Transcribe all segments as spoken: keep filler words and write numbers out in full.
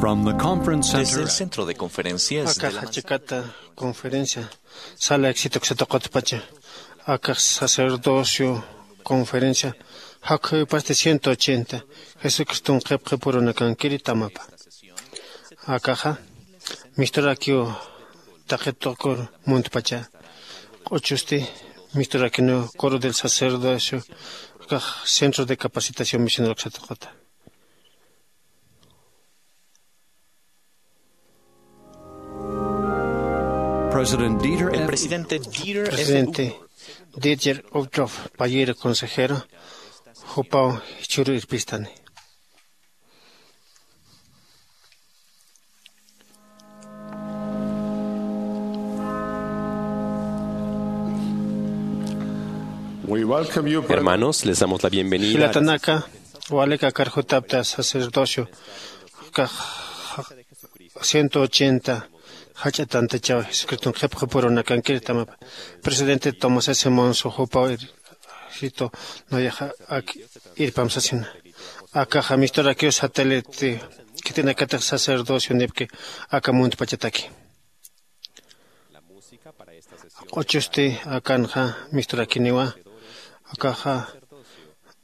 From the conference center. Desde el centro de conferencias de la Akax jach'akata conferencia sala éxito uksata qutpacha. Akax sacerdocio conferencia jakjupasti ciento ochenta Jesucriston qhipqhipurunakankiri tamapa. Akaxa misturakiw taqi tuqur muntpacha. Q'uchusti misturakiniw coro del sacerdocio, akax centro de capacitación misional uksata quta. President Dieter El F. Presidente Dieter F. Presidente Dieter Uchtdorf, payïr consejero, jupaw jichhüru irpistani. We welcome you, brother. Hermanos, les damos la bienvenida. Jilatanaka, walik akar jutapta sacerdocio, akax ciento ochenta jach'a tantachaw Jesucriston qhipqhipurunakankir tamapa. Presidente Tomás S. Monson jupaw ir-, sito nayaxa ak irpam sasina. Akaxa misturakiw satélite khitinakatix sacerdocio nipki aka muntpachataki. Q'uchusti akanxa misturakiniwa, akaxa,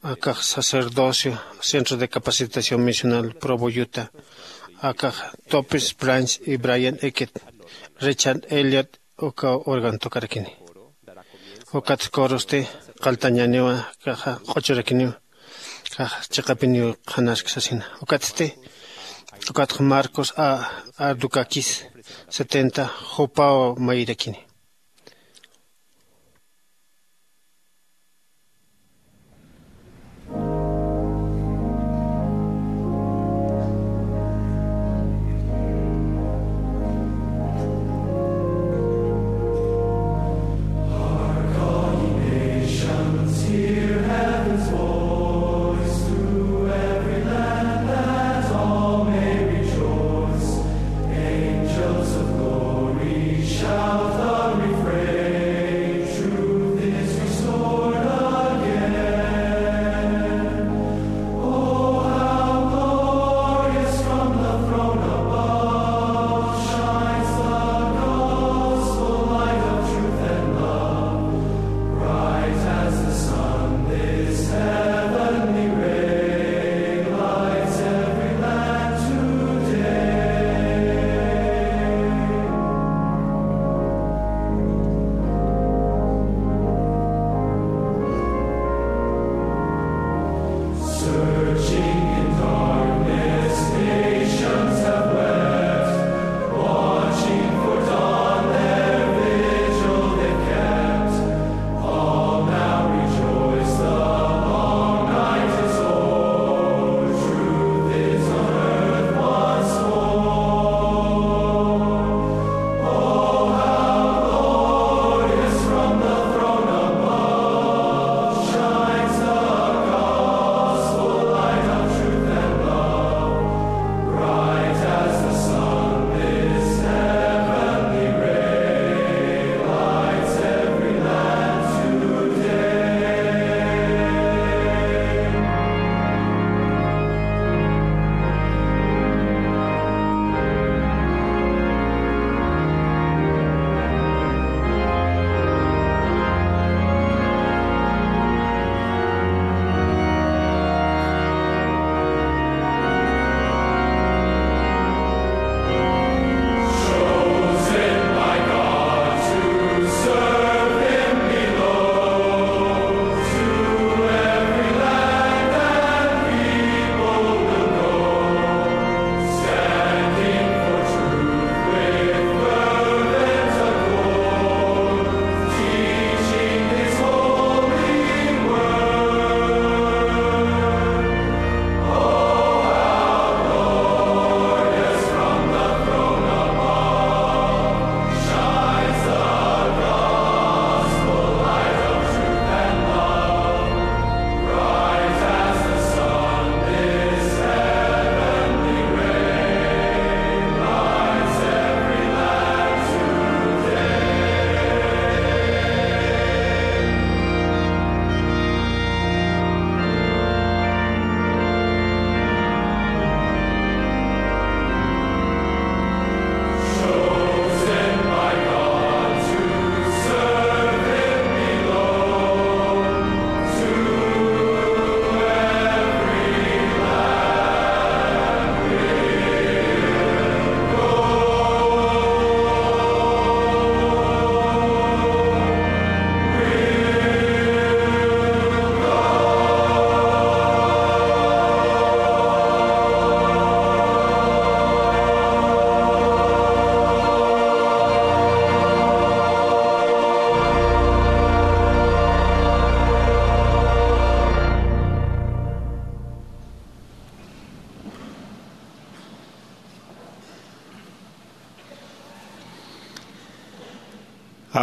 akax sacerdocio, Centro de Capacitación Misional Provo, Utah, akax Topis Branch y Brian Eckett, Richard Elliot, uka órgano tocarakini. Ukat corosti qalltañäniwa, akaxa q'uchurakiniwa. Akax chiqapiniw qhanask sasina. Ukatsti, ukatx Marcos A. Ardukakis, setenta, jupaw mayirakini.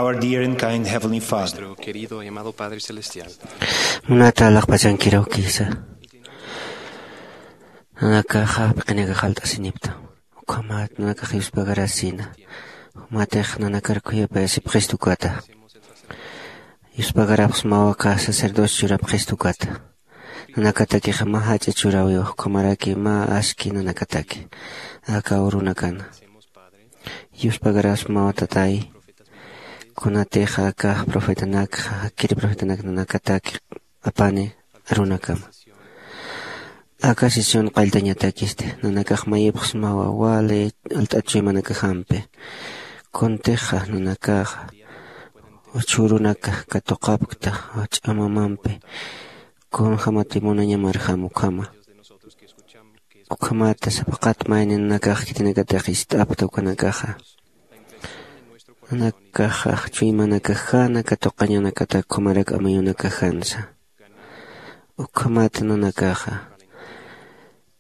Our dear and kind Heavenly Father. Nuestro querido y amado Padre Celestial. Munata alaxpachankiraw kisa. Nanakaxa piqinakax alt'asinipta. Ukhamat nanakax yuspagarasina. Jumatix nanakar khuyapayasipxistu ukata. Yuspagarapxsmawa aka sacerdocio churapxistu ukata. Nanakatakixa mä jach'a churawiwa, ukhamaraki mä aski nanakataki aka urunakana. Yuspagarasmawa, Tatay, kunatixa aka profetanakxa, jakkiri profetanak nanakataki apani arunakama. Aka sesión qalltañatakisti, nanakax mayipxsmawa wali alt'at chuymanakajampi. Kuntixa nanakaxa chhurunaka katuqapkta ch'amamampi, kunjamati munañamarjam ukhama. Ukhamata sapaqat mayni nanakax khitinakatix ist'apta ukanakaxa. Nanakaxa chuymanakajana katuqañanakatak ukhamaraki amuyunakajansa. Ukhamata nanakaxa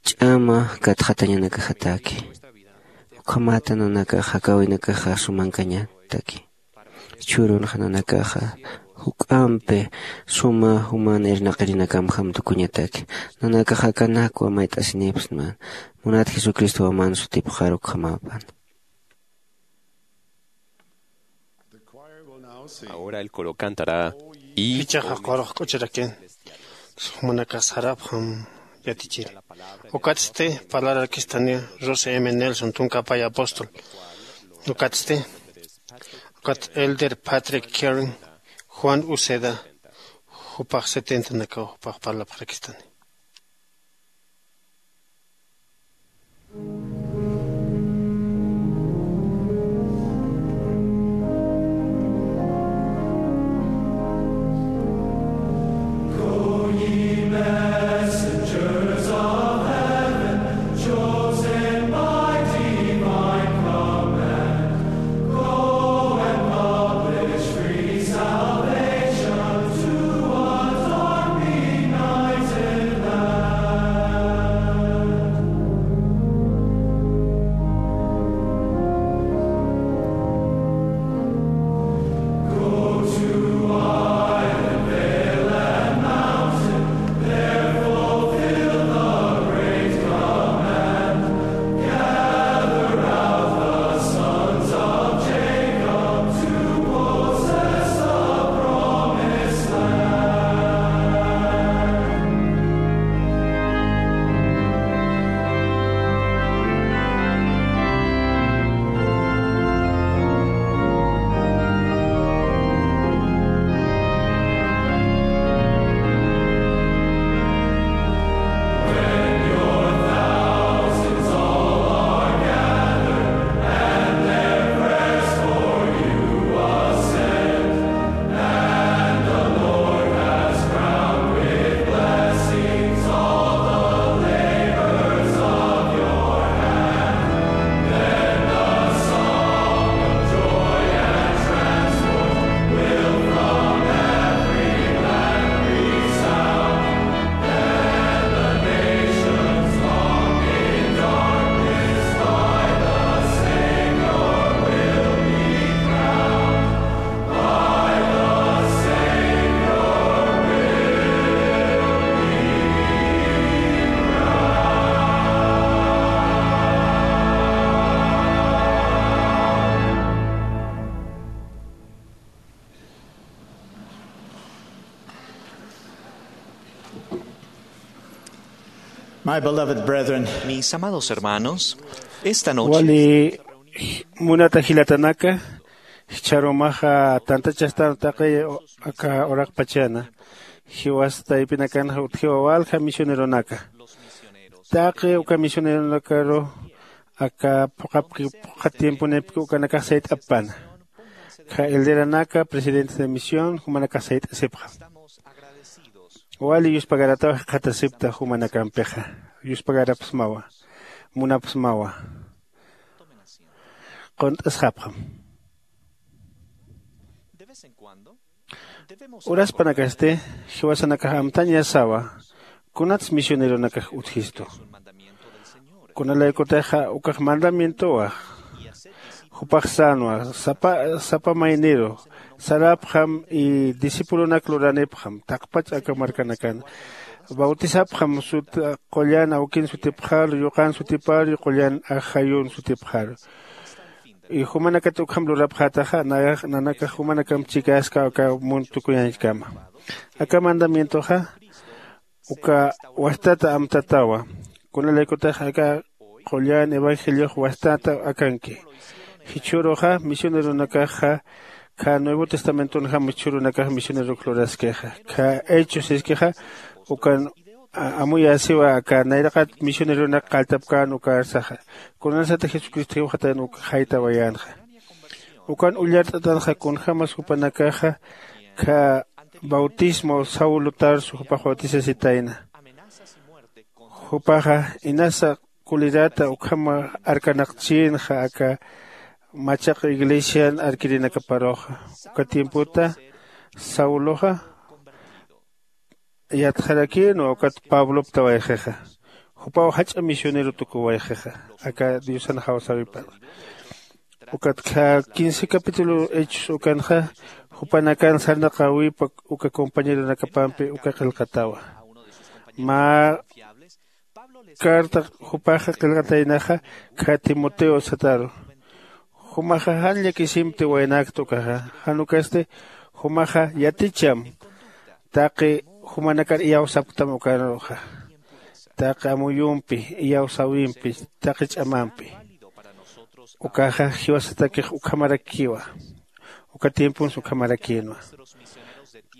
ch'ama katxatañanakajataki. Ukhamata nanakaxa jakawinakaxa sumankañataki. Chhurunxa nanakaxa juk'ampi suma juman irnaqirinakamjam tukuñataki. Nanakaxa akanakwa mayt'asinipxsma. Munat Jesucristowa man sutipxar ukhamapan. Ahora el coro cantará y Jichhaxa qurux k'uchirakin. Jumanakax sarapxam yatichiri. Ukatsti parlarakistani Russell M Nelson, tunka pay apóstol. Ukatsti, ukat Elder Patrick Kering, Juan Uceda, jupax setentanakaw jupax parlapxarakistani. My beloved brethren, Mis amados hermanos, esta noche wali munata jilatanaka, jichharumaxa tantachastan taqi aka uraqpachana, jiwas taypinakanxa utjiwa walja misioneronaka. Taqi uka misioneronakaru aka phuqapki, phuqha tiemponipki ukanakax sayt'apana. Kha elderanaka, presidentes de misión, jumanakax sayt'asipxam. Wali yuspagarataw jikxatasipta jumanakampixa. Yuspagarapxsmawa, munapxsmawa. Qunt'asxapxam. Uraspanakasti jiwasanakax amtañasawa kunats misioneronakax utjistu. Kunalaykutixa ukax mandamientowa. Jupax sänwa sapa, sapa mayniru sarapxam y discipulonak luranipxam taqpach aka markanakan. Bautisapxam sut qullan awkin sutipxaru, yuqan sutiparu, qullan ajayun sutipxaru. Y jumanakat ukham lurapxätaxa nanakax jumanakamp chikaska aka munt tukuyañchkama. Aka mandamientoxa uka wastata amtatawa. Kunalaykutax aka qullan evangeliox wastata akanki. Jichhüruxa misioneronakaxa kha nuevo testamentonjam jichhürunakax misionerok luraskixa. Kha hechos siskixa ukan amuyäsiwa aka nayraqat misioneronak qalltapkän ukarsaxa. Kunasata jesucristo jiwxatayan uk jaytawayänxa. Ukan ullart'atanxa kunjämas jupanakaxa kha bautismo saulo tarso jupax bautisasitayna. Jupaxa inasa kulirata ukhama arkanaqchïnxa aka machaq iglesian arkirinakaparuxa. Uka tiempota sauloxa yatxarakïnwa ukat pabloptawayxixa. Jupaw jach'a misionero tukuwayxixa aka diosan jawsäwipanxa. Ukat kha quince capítulo hechos ukanxa jupanakan sarnaqäwipa uka compañeronakapampi uka qillqatawa. Mä carta jupaxa qillqataynaxa kha timoteo sataru. Jumaxa jan llakisimti waynakta ukaxa. Jan ukasti jumaxa yaticham taqi jumanakar iyawsapktam ukaruxa. Taqi amuyumpi, iyawsäwimpi, taqi ch'amampi. Ukaxa jiwasatakix ukhamarakiwa. Uka tiemponsa ukhamarakïnwa.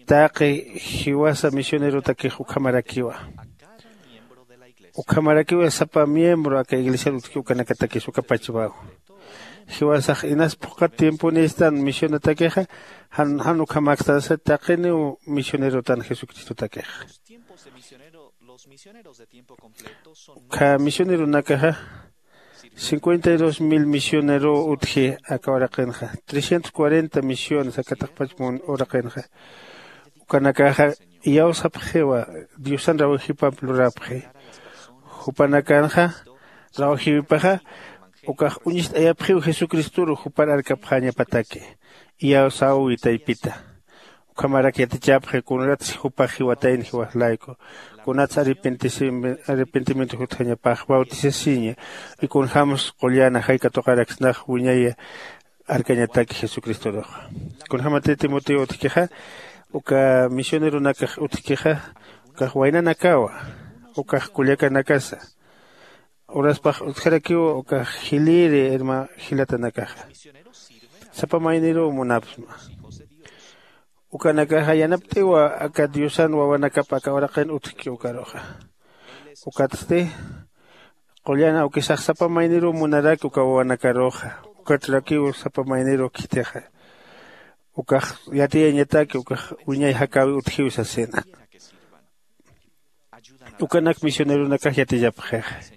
Taqi jiwasa misionerotakix ukhamarakiwa. Ukhamarakiwa sapa miembro aka iglesiar utjki ukanakatakis uka pachwaw. Jiwasax inas phuqhat tiemponistan misionatakixa jan jan ukhamäkstansa taqiniw misionerotan jesucristotakixa. Ukkha misioneronakaxa cincuenta y dos mil misionerow utji aka uraqinxa. Trescientos cuarenta misiones aka taqpach uraqinxa. Ukanakaxa iyawsapxiwa diosan rawajipamp lurapxi. Jupanakanxa rawajiwipaxa ukax uñist'ayapxiw jesucristoru jupar arkapxäñapataki. Iyawsäwi taypita. Ukhamarak yatichapxi kunatsi jupax jiwatayna jiwax layku, kunatsi arrepentimiento jutjañapax bautisasiña, y kunjämsa qullan ajay katuqaraksnax wiñay arkañataki jesucristoruxa. Kunjämatï timoteo utjkixa uka misioneronakax utjkixa ukax waynanakawa, ukax kullakanakasa. Uraspax utjarakiw ukax jiliri irma jilatanakaxa. Sapa mayniruw munapsma. Ukanakaxa yanapt'iwa aka diosan wawanakap aka uraqin utjki ukaruxa. Ukatsti qullan awkisax sapa mayniruw munaraki uka wawanakaruxa. Ukatrakiw sapa mayniruw khitixa. Ukax yatiyañataki ukax wiñay jakäwi utjiw sasina. Ukanak misioneronakax yatichapxixa.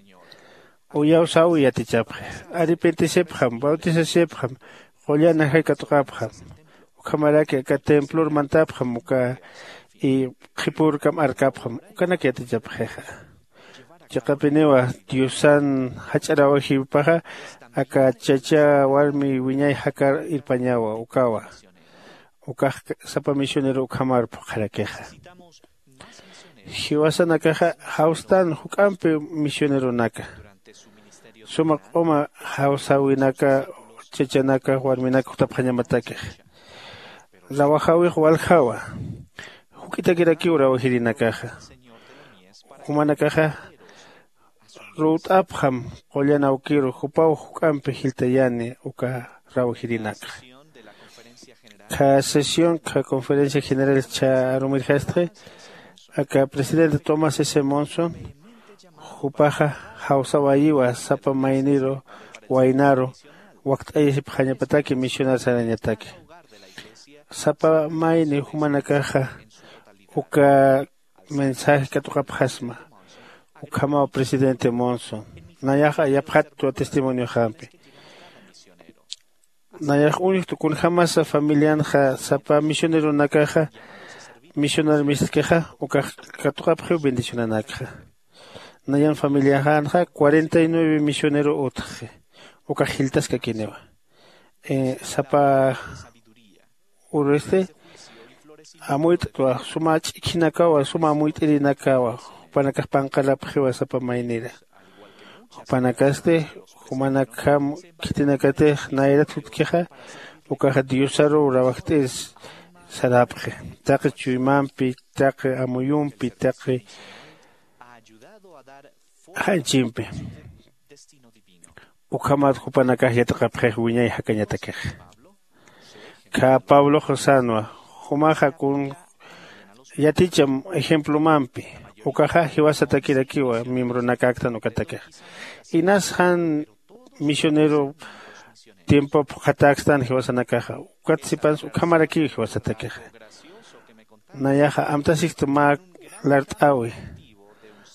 Uyawsäwi yatichapxi. Arrepentisipxam bautisasipxam. Qullan ajay katuqapxam. Ukhamaraki aka templor mantapxam uka qhipürkam arkapxam ukanak yatichapxixa. Chiqapiniwa diosan jach'a rawajiwipaxa aka chacha warmi wiñay jakar irpañawa ukawa. Ukax sapa misionero ukhamar phuqharakixa. Jiwasanakaxa jawstan juk'ampi misioneronaka. Suma q'uma jawsäwinaka chachanaka warminaka jutapxañamatakix. Rawajäwix waljawa. Juk'itakirakiw rawajirinakaxa. Jumanakaxa ruwt'apxam qullan awkiru jupaw juk'ampi jiltayani uka rawajirinakxa. Kha sesión kha conferencia general chha arumirjastxi aka presidente tomás s monson. Jupaxa jawsawayiwa sapa mayniru waynaru wakt'ayasipxañapataki misionar sarañataki. Sapa mayni jumanakaxa uka mensaje katuqapxasma. Ukhamaw presidente monson. Nayaxa yapxatwa testimonioxampi. Nayax uñjtu kunjämasa familianxa sapa misioneronakaxa misionar mistkixa ukax katuqapxiw bendicionanakxa. Nayan familiaxänxa cuarenta y nueve misionero utxi. Ukax jiltaskakiniwa sapa urusti amuyt'twa suma ch'ikhinakawa suma amuyt'irinakawa. Jupanakax panqarapxiwa sapa maynira. Jupanakasti jumanakjam khitinakatix nayrat jutkixa ukaxa diosaruw rawajt'ir sarapxi taqi chuymampi taqi amuyumpi taqi janchimpi. Ukhamat jupanakax yatiqapxix wiñay jakañatakix. Khä pabloxa sänwa jumaxa kun yaticham ejemplomampi ukaxa jiwasatakirakiwa miembronakäktan ukatakix. Inas jan misionero tiempop phuqhatäkstan jiwasanakaxa ukat sipans ukhamarakiw jiwasatakixa. Nayaxa amtasista mä lart'äwi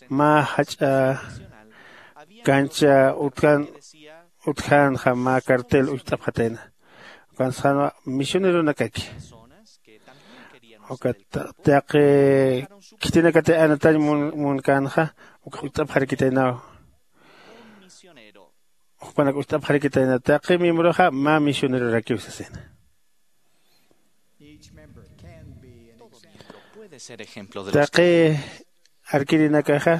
mä jach'a kancha utjan utjänxa mä cartel ucht'apxatayna. Ukansxanwa misioneronakaki ukat taqi khitinakatix anatañ munkänxa ukax ucht'apxarakitaynaw. Jupanak ucht'apxarakitayna taqi miembroxa mä misionerorakiw sasina. Taqi arkirinakaxa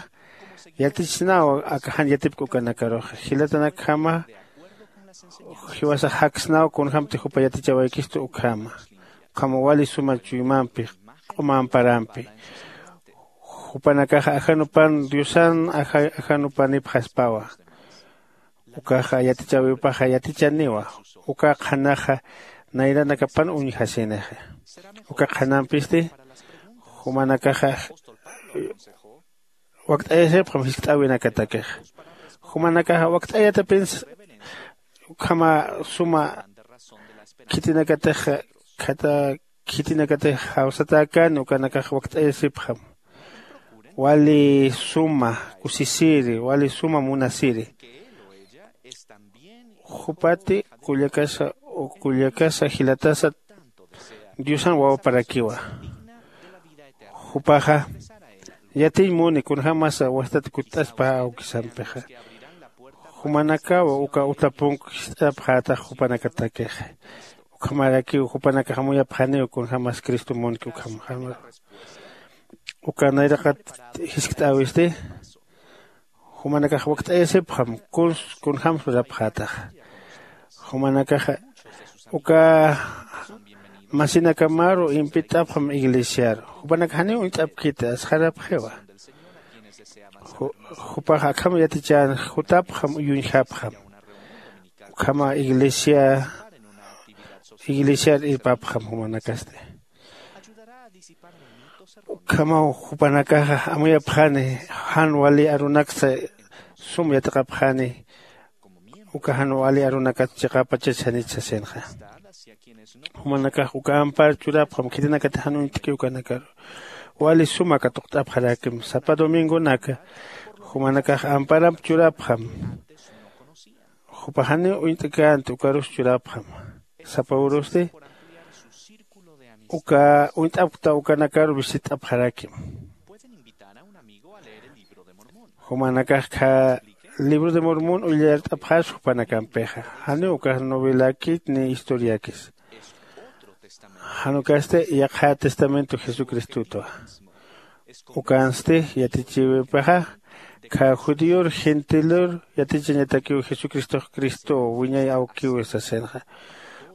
yatichsnaw aka jan yatipk ukanakaruxa jilatanakjama jiwasax jaksnaw kunjämti jupa yatichawaykistu ukhama. Ukhama wali suma chuymampi q'uma amparampi jupanakaxa ajanupan diosan ajanupanipxaspawa. Ukaxa yatichäwipaxa yatichaniwa uka qhanaxa nayranakapan uñjasinixa. Uka qhanampisti jumanakaxa wakt'ayasipxam jiskt'äwinakatakixa. Jumanakaxa wakt'ayatapinsa ukhama suma khitinakatix khata khitinakatix jawsatäkäni ukanakax wakt'ayasipxam. Wali suma kusisiri wali suma munasiri jupati kullakasa kullakasa jilatasa diosan wawaparakiwa. Jupaxa yatiñ muni kunjämasa wastat kutt'aspa awkisampixa. Jumanakaw uka utapunk jist'apxätax jupanakatakixa. Ukhamarakiw jupanakax amuyapxaniw kunjämas cristo munki ukham uka nayraqat jiskt'äwisti jumanakax wakt'ayasipxam kuns kunjämsa urapxätaxa. Jumanakaxa uka masinakamaru impit'apxam iglesiaru jupanakax janiw uñt'apkiti asxarapxiwa. Jupax akham yatichän jutapxam uyuñjapxam ukhama iglesia iglesiar irpapxam jumanakasti. Ukhamaw jupanakaxa amuyapxani jan wali arunaksa sum yatiqapxani uka jan wali arunakat chiqapachach janich sasinxa. Jumanakax uka ampar churapxam khitinakatix jan uñt'ki ukanakaru wali suma katuqt'apxarakim sapa domingonaka jumanakax amparamp churapxam. Jupax janiw uñt'känti ukarus churapxam sapa urusti uka uñt'apkta ukanakaru visit'apxarakim. Jumanakax khä libro de mormón ullart'apxaspa jupanakampixa janiw ukax novelakit ni historiakis. Jan ukasti yaqha testamento jesucristotwa. Ukansti yatichiwipaxa khä judíor gentilor yatichañatakiw jesucristox cristow wiñay awkiwi sasinxa.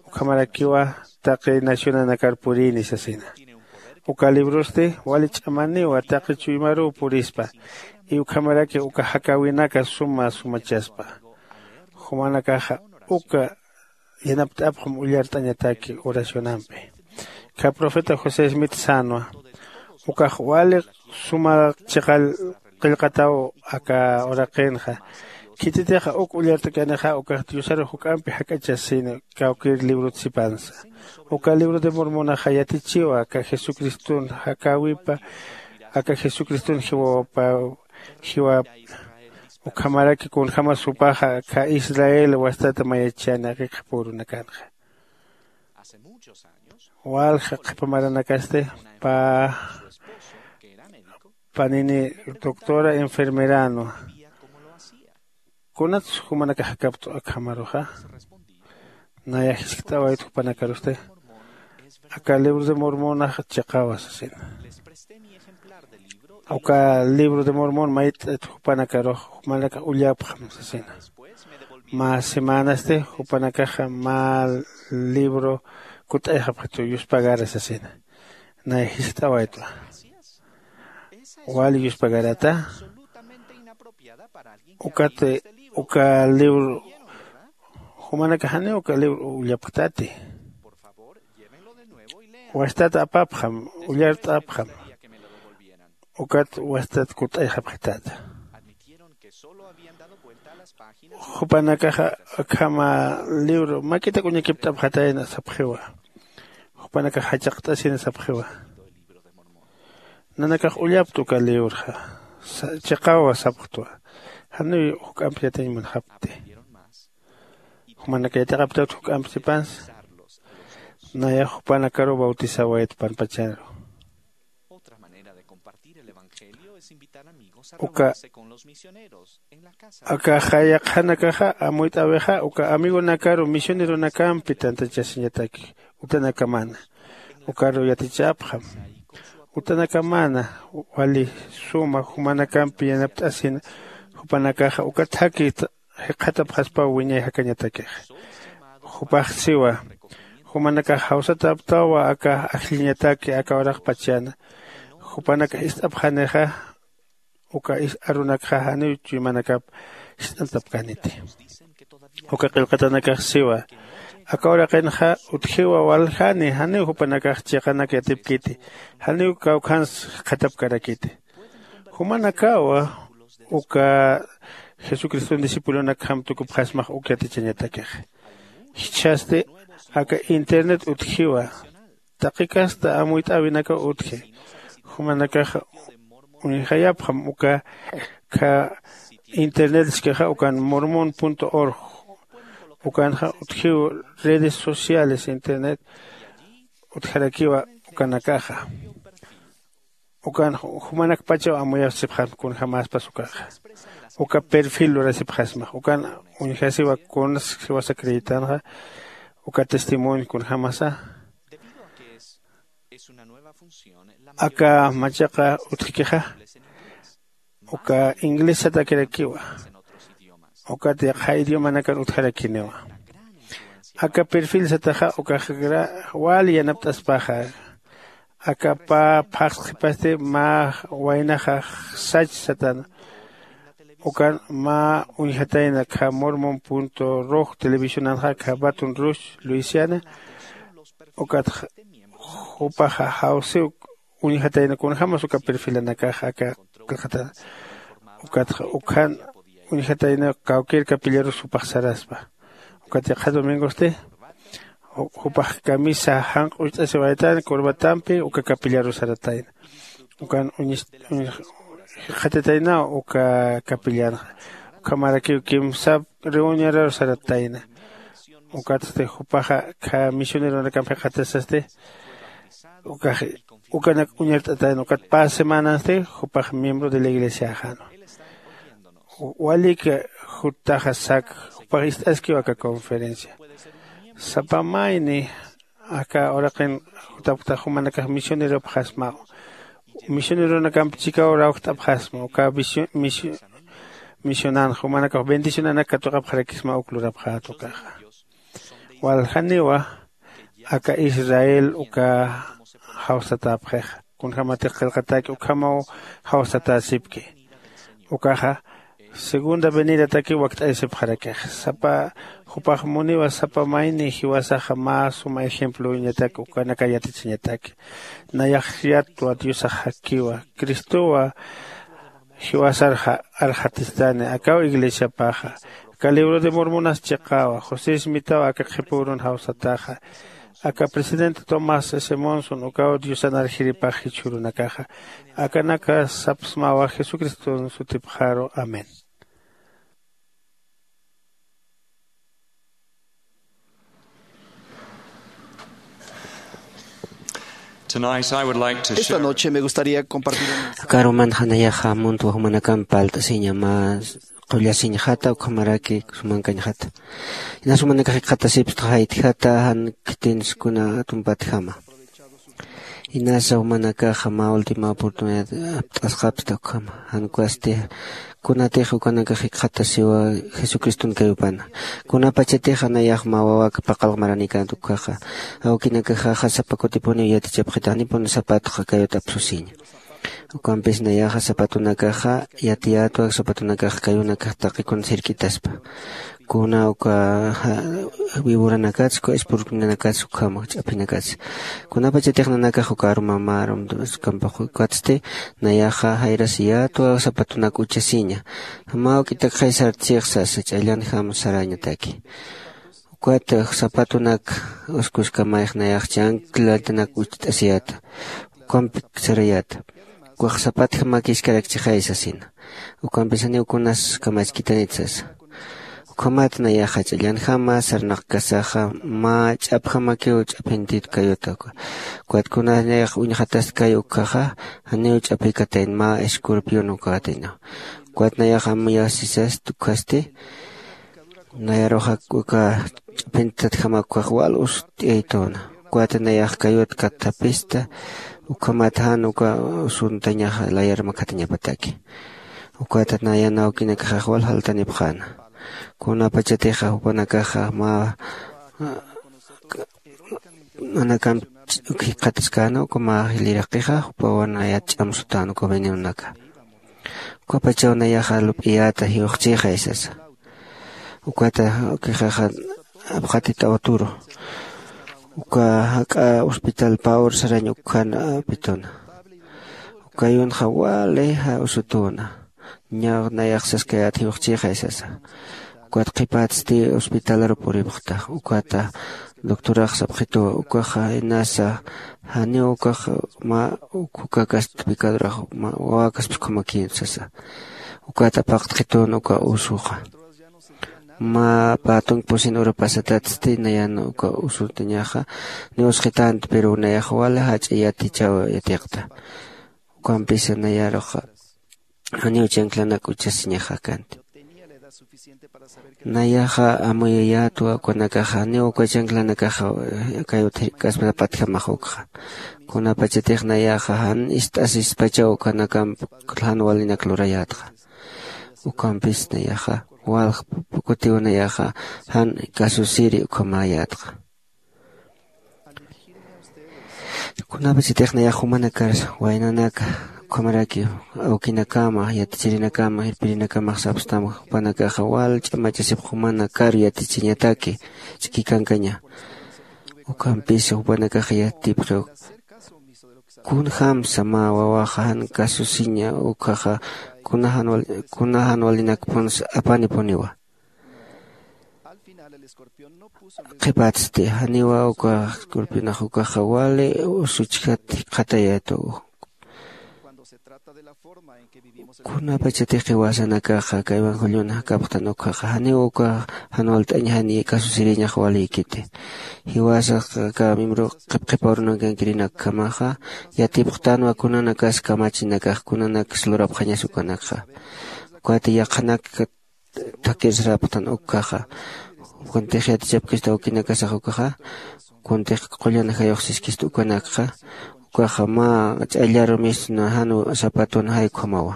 Ukhamarakiwa taqi nacionanakar purini sasina. Uka librosti wali ch'amaniwa taqi chuymaruw purispa. Iwkhamaraki uka jakäwinaka suma sumachaspa. Jumanakaxa uka yanapt'apxam ullart'añataki oracionampi. Kha profeta josé smith sänwa ukax wali suma chiqa qillqataw aka uraqinxa. Khititixa uk ullart'kanixa ukax diosaru juk'ampi jak'achasini kawkir librot sipansa. Uka libro de mormonaxa yatichiwa aka jesucriston jakäwipa aka jesucriston jiwapaw jiwap ukhamaraki kunjämas jupaxa aka israel wastata mayachani akikxapürunakanxa. Walja qhipa maranakasti pä panini doctora enfermeranwa. Kunats jumanakax jakapt'u akhamaruxa? Naya jiskt'awayt jupanakarusti. Aka libro de mormonax chiqawa sasina. Uka libro de mormon mayt'it jupanakarux jumanakax ullapxam sasina. Mä semanasti jupanakaxa mä libro kutt'ayxapxitu yuspagara sasina. Nay jist'awaytwa. Wali yuspagarata. Ukat uka libro jumanakaxani uka libro ullapxtati. Wastat apapxam, ullart'apxam. Ukat wastat kutt'ayxapxitata. Jupanakaxa akhama libro mak'itak uñakipt'apxatayna sapxiwa. Jupanakax jachaqt'asina sapxiwa. Nanakax ullaptu uka librxa. Chiqawa sapxtwa. Janiw juk'amp yatiñ munxapti. Jumanaka yatiqaptawt juk'amp sipansa. Nayax jupanakaru bautisawayt panpacharu. Uka akaxa yaqhanakaxa amuyt'awixa uka amigonakaru misioneronakampi tantachasiñataki. Utanakamana ukaru yatichapxam. Utanakamana wali suma jumanakampi yanapt'asina. Jupanakaxa uka thakhi jikxatapxaspaw wiñay jakañatakixa. Jupax siwa jumanakax jawsataptawa aka ajlliñataki aka uraqpachana. Jupanakax ist'apxanixa uka arunakxa janiw chuymanakap ist'antapkäniti. Uka qillqatanakax siwa aka uraqinxa utjiwa waljani janiw jupanakax chiqanak yatipkiti. Janiw kawkhans jikxatapkarakiti. Jumanakawa uka jesucriston discipulonakjam tukupxasmax uk yatichañatakixa. Jichhasti aka internet utjiwa. Taqi kasta amuyt'äwinakaw utji. Jumanakaxa uñjayapxam uka kha internet iskixa ukan mormon org. Ukanxa utjiw redes sociales internet utjarakiwa ukanakaxa. Ukan jumanakpachaw amuyasipxasma kunjämaspas ukaxa. Uka perfil lurasipxasmax ukan uñjasiwa kunas jiwasa creyitanxa uka testimonio kunjämasa. Aka machaqa utjkixa uka inglés satakirakiwa. Ukat yaqha idiomanakan utjarakiniwa. Aka perfil sataxa ukaxakra wali yanapt'aspaxa. Aka pä phaxsqipasti mä waynaxa sach satana. Ukan mä uñjatayna kha mormon punto roj televisionanxa kha baton rouge luisiana. Ukat jupaxa jawsiw uñjatayna kunjämas uka perfilanakaxa aka qillqatana. Ukatxa ukkhan uñjatayna kawkir capillarus jupax saraspa. Ukat yaqha domingosti jupax camisa janq' ucht'asiwaytan corbatampi uka capillarus saratayna. Ukan jikxatataynaw uka capillanxa. Ukhamarakiw kimsap reunionaru saratayna. Ukatsti jupaxa kha misioneronakamp jikxatasasti ukax ukanak uñart'atayna ukat pä semanansti jupax miembro de la iglesiaxanwa. Waliki juttaxa sak jupax ist'askiw aka conferencia. Sapa mayni aka uraqin jutapktax jumanakax misioneropxasmaw. Misioneronakamp chikaw rawjt'apxasma uka misionan jumanakax bendicionanak katuqapxarakisma uk lurapxät ukaxa. Waljaniwa aka israel uka jawsatäpxixa kunjämatix qillqatäki ukhamaw jawsatäsipki. Ukaxa segunda venidataki wakt'ayasipxarakixa sapa jupax muniwa sapa mayni jiwasaxa mä suma ejemplowiñataki ukanaka yatichañataki. Nayax yatwa diosax jakiwa cristowa jiwasar arxatistani akaw iglesiapaxa. Aka libro de mormonas chiqawa josé smitaw aka qhipürun jawsataxa. Aka presidente tomás s monson ukaw diosan arjiripax jichhürunakaxa. Akanaka sapsmawa jesucriston sutipxaru amén. Tonight I would like to share. Esta noche me gustaría compartir un mensaje. Akaruman janayaxa muntwa jumanakamp palt'asiña mä qullasiñxata ukhamaraki sumankañxata. Inas jumanakax jikxatasipstxa jaytjata jan khitinsukuna tumpatjama. Inasa jumanakaxa mä ultima oportunidad apt'asqapsta ukhama. Jan ukasti kunatix ukanakax jikxatasiwa jesucristun kayupana. Kunapachatixa nayax mä wawak paqalq maranïkänti ukkhaxa, awkinakaxaxa sapa kutipuniw yatichapxita janipun sapatxa kayut apsusiña. Ukampis nayaxa sapatunakaxa yatiyätwa, sapatunakax kayunakax taqikun sirk'itaspa. Kuna uka wiburanakats uka espurkinanakats ukhama ch'aphinakats. Kunapachatix nanakax uka arumamä arumkampux ukatsti nayaxa jayrasiyätwa sapatunak uchasiña. Mä uk'itakxay sartsix sasa, ch'allanjam sarañataki. Ukat sapatunak uskuskamayx nayax chanclatanak ucht'asiyäta. Ukampi sarayäta, ukax sapatjamakiskarakchixay sasina. Ukampis janiw kunas kamachkitanit sasa. Ukhamat nayaxa ch'allanjama sarnaqkasaxa mä ch'apjamakiw ch'aphintit kayuta. Ukat kunas nayax uñxatast kay ukkhaxa, janiw ch'aphikatayn mä escorpión ukatina. Ukat nayax amuyasisast ukhasti nayaruxa uka ch'aphintatjama ukkhax wal usut'iyaytuna. Ukat nayax kayut kathapista. Ukhamat jan uka usuntañaxa layar makhatañapataki. Ukat nayan awkinakaxax wal jaltanipxäna. Kunapachatixa jupanakaxa mä nanakamp jikxataskäna uka mä jiliraqixa jupawan nayat ch'amsutän uka venenonaka. Ukapachaw nayaxa lup'iyäta jiwxchixay sasa. Ukata ukixaxa apxatit awturu. Uka jak'a hospital pawr sarañ ukkhan apituna. Ukayunxa wali usutuna. Ña nayax saskayät jiwxchixay sasa. Ukat qhipatsti hospitalar puripxta. Ukata doctorax sapxituwa ukaxa inasa janiw ukax mä ukukakast picadorax wawakasp ukhamakïn sasa. Ukat apaqtxitun uka usuxa. Mä patunk pusin uru pasatatsti nayan uka usutuñaxa niwsqitant pero nayax wali jach'a yatichaw yatiqta. Ukampisa nayaruxa janiw chanclanak uchasiñaxa kanti. Nayaxa amuyayätwa ukanakaxa janiw uka chanclanakaxa kayut jirk'aspa sapatjamax ukxa. Kunapachatix nayaxa jan ist'asispachaw ukanakamp jan walinak lurayätxa. Ukampis nayaxa walj pukutiw nayaxa jan kasusiri ukhamäyätxa. Kunapachatix nayax jumanakar waynanaka ukhamaraki awkinakama yatichirinakama irpirinakamax sapstam jupanakaxa wal ch'amachasipx jumanakar yatichiñataki ch'ikikankaña. Ukampis jupanakax yatipxiw kunjamsa mä wawaxa jan kasusiña ukhaxa kuna jan walinakpunsa apanipuniwa. Qhipatsti janiwa uka escorpionax ukaxa wali usuchjat jikxatayätu. Kunapachatix jiwasanakaxa kaywan jullun jakapxtan ukhaxa janiw uka jan walt'añ jan kasusirïñax walïkiti. Jiwasax aka miembro qhipqhipawrunankankirinakkamaxa yatipxtanwa kunanakas kamachinakax kunanakas lurapxañas ukanakxa. Ukat yaqhanak thakir sarapxtan ukhaxa. Kuntix yatichapkista awkinakasax ukaxa kuntix qullan jayux siskista ukanakxa. Ukaxa mä ch'allaru misna jan sapatun jay ukhamawa.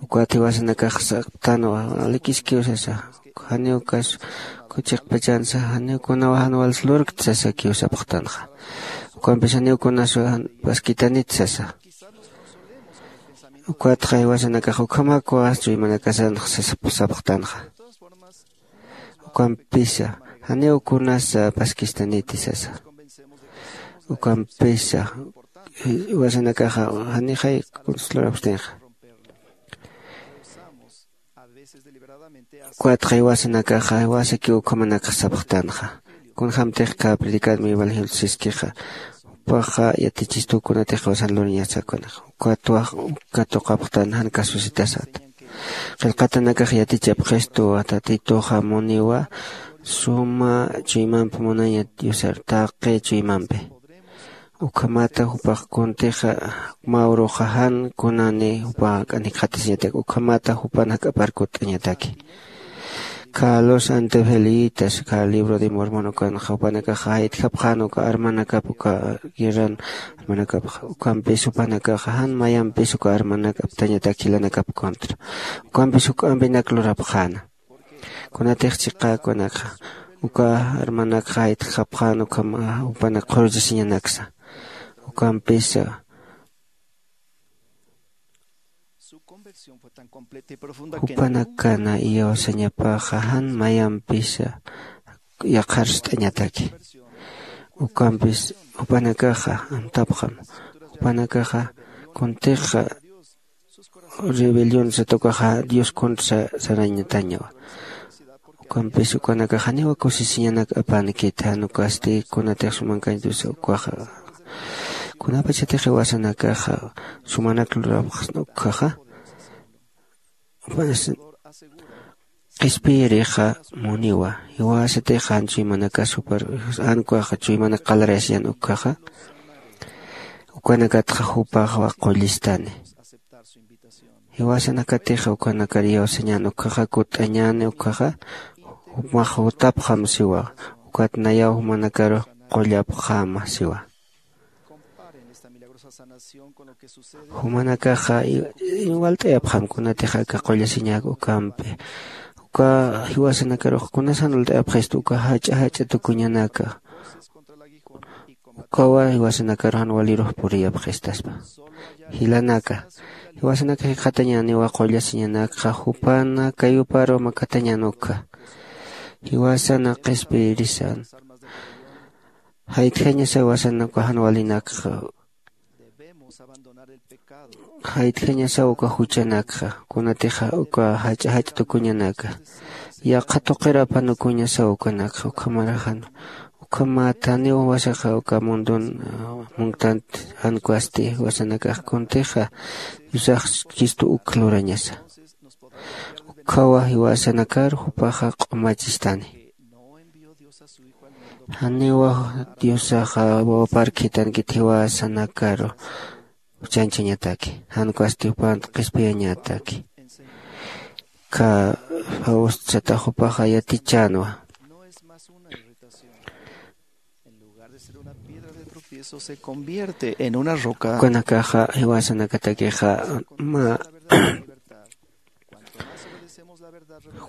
Ukat jiwasanakax sapxtanwa alikiskiw sasa. Janiw ukas kuchiqpachansa janiw kunawa jan wals lurkt sasakiw sapxtanxa. Ukampis janiw kunaswa paskitanit sasa. Ukatxa jiwasanakax ukhamakwa chuymanakasanx sapxtanxa. Ukampisa janiw kunasa paskistaniti sasa. Ukampisa jiwasanakaxa janixay kuns lurapxtinxa. Ukatxa jiwasanakaxa jiwasakiw ukhamanakax sapxtanxa. Kunjämtix kä predicadmi evangelio siskixa jupaxa yatichistuw kunatix jiwasan luriñasa ukanix. Ukatwa uka tuqapxtan jan kasusitasat. Qillqatanakax yatichapxistuwa tatituxa muniwa suma chuymampi munaña diosar taqi chuymampi. Ukhamata jupax kuntixa mä uruxa jan kunani jupa jikxatasiñatak ukhamata jupan jak'apar kutt'añataki. Kha los antefelitas kha libro de mormon ukanxa jupanakaxa jaytjapxän uka armanakap uka guerran armanakapxa ukampis jupanakaxa jan mayampis uka armanak aptañatak jilanakap contra ukampis juk'ampinak lurapxäna. Kunatix chiqäkunakxa uka armanakxa jaytjapxän ukham jupanak qhurchasiñanaksa ukampisa jupanakana iyawsañapaxa jan mayampisa yaqharst'añataki. Ukampis jupanakaxa amtapxam jupanakaxa kuntixa rebelión satukaxa dios contra sarañatañawa. Ukampis ukanakax janiwa kusisiñanak apankit jan ukasti kunatix sumankañ diosa ukaxa kunapachatix jiwasanakaxa sumanak lurapxsna ukkhaxa. Qhispiyirixa muniwa jiwasatix jan chuymanakas jupar jan ukaxa chuymanak qalarayasiñan ukkhaxa. Ukanakatxa jupaxwa qullistani. Jiwasanakatixa ukanakar iyawsañän ukkhaxa kutt'añäni ukkhaxa jumax jutapxam siwa. Ukat nayaw jumanakaru qullapxäma siwa. Jumanakaxa walt'ayapxam kunatix aka qullasiñak ukampi uka jiwasanakarux kunasan walt'ayapxistu uka jach'a jach'a tukuñanaka. Ukawa jiwasanakarux jan walirux puriyapxistaspa. Jilanaka jiwasanaka jikxatañäniwa qullasiñanakxa jupana kayuparu makatañän ukkha. Jiwasana qhispiyirisan jaytjañasaw jiwasanaka jan walinakxa jaytjañasaw uka juchanakxa kunatixa uka jach'a jach'a tukuñanaka yaqha tuqir apanukuñasaw ukanakxa ukhamaraxan. Ukhamat janiw jiwasaxa uka mundun munktant jan ukwasti jiwasanakax kuntixa diosax chistu uk lurañasa. Ukkhawa jiwasanakar jupaxa q'umachistani. Janiwa diosaxa wawapar khitankit jiwasanakaru juchanchañataki jan ukwasti jupant qhispiyañataki. Kha faust satax jupaxa yatichänwa. Ukanakaxa jiwasanakatakixa mä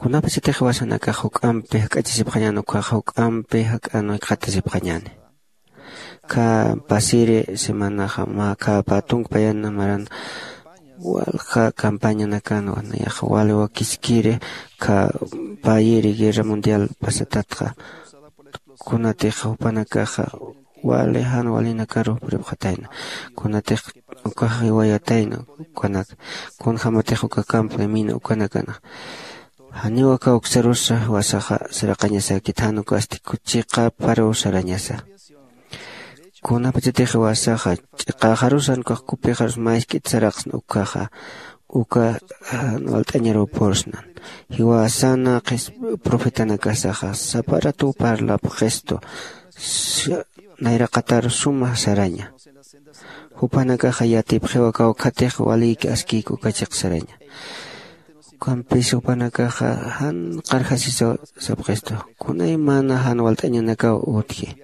kunapachatix jiwasanakax juk'ampi jak'achasipxañäni ukkhaxa juk'ampi jak'an jikxatasipxañäni. Kha pasiri semanaxa mä kha pä tunka payan maran walja campañanakanwa nayaxa wali wakiskiri kha payiri guerra mundial pasatatxa. Kunatixa jupanakaxa wali jan walinakaru puripxatayna kunatix ukax jiwayatayna ukanak kunjämatix uka campo de mina ukanakanax janiw aka uksarusa jiwasaxa saraqañasakit jan ukasti chiqaparuw sarañasa. Kunapachatix jiwasaxa ch'iqaxarus jan ukax kupixarus mä isk'it saraqsna ukkhaxa uka jan walt'añaruw pursnan. Jiwasana profetanakasaxa sapa ratuw parlapxistu nayraqatar suma saraña. Jupanakaxa yatipxiwa kawkhatix walïki askïki uka chiq saraña. Ukampis jupanakaxa jan qarjasisaw sapxistu kunaymana jan walt'añanakaw utji.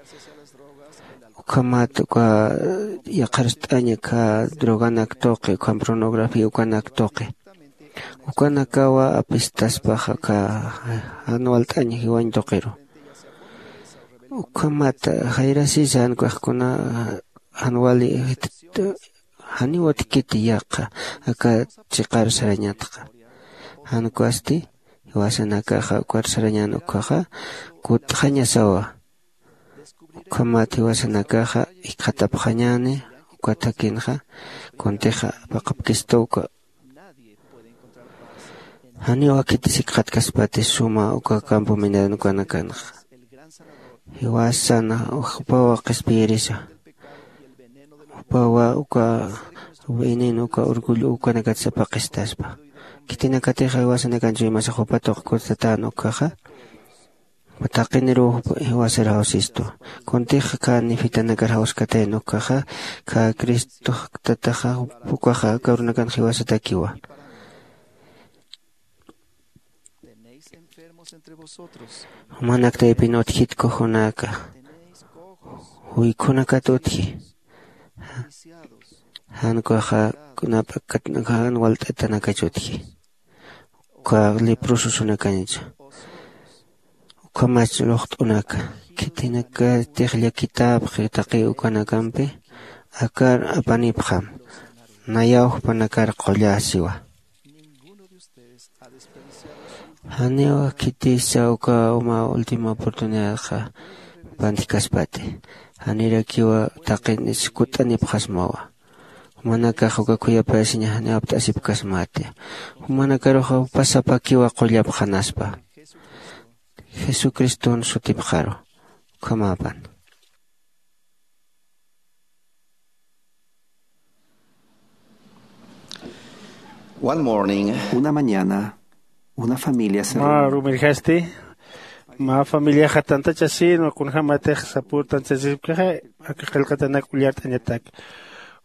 Ukhamat uka yaqharst'aña kha droganak tuqi ukham pornografía ukanak tuqi ukanakawa apistaspaxa kha jan walt'aña jiwañ tuqiru. Ukhamat jayrasisa jan ukaxkuna jan wali janiw utjkiti yaqha aka chiqar sarañatxa. Jan ukasti jiwasanakaxa ukar sarañän ukkhaxa kutt'xañasawa. Ukhamat jiwasanakaxa jikxatapxañäni ukat jakinxa kuntixa paqapkistu uka. Janiw akhitis jikxatkaspati suma uka campo minado ukanakanxa. Jiwasana jupawa qhispiyirisa jupawa uka veneno uka orgullo ukanakat sapaqistaspa. Khitinakatixa jiwasanakan chuymasa jupa tuqkut satän ukkhaxa taqiniruw jiwasar jawsistu. Kuntix kha nifitanakar jawskatayn ukkhaxa kha cristox tataxa ukaxa aka urunakan jiwasatakiwa. Jumanak taypin utjit kujunaka, juykunakat utji. Jan ukaxa kunap'akat jan walt'atanakach utji. Uka leprososunakañcha, ukhamach luqt'unaka, khitinakatix llakitäpxi taqi ukanakampi, akar apanipxam, nayaw jupanakar qullasiwa. Janiw khitisa uka uma última oportunidadxa pantjkaspati. Janirakiwa taqin iskut'anipxasmawa. Jumanakax uka khuyapayasiña janiw apt'asipkasmati. Jumanakaruxa pasapakiwa qullapxanaspa. Jesucriston sutipxaru. Ukhamapan. One morning, una mañana, una familia se mä reunió. Rumirjasti, mä familiaxa tantachasin kunjämatix sapür tantachasipkixa, aka qillqatanak ullart'añatak.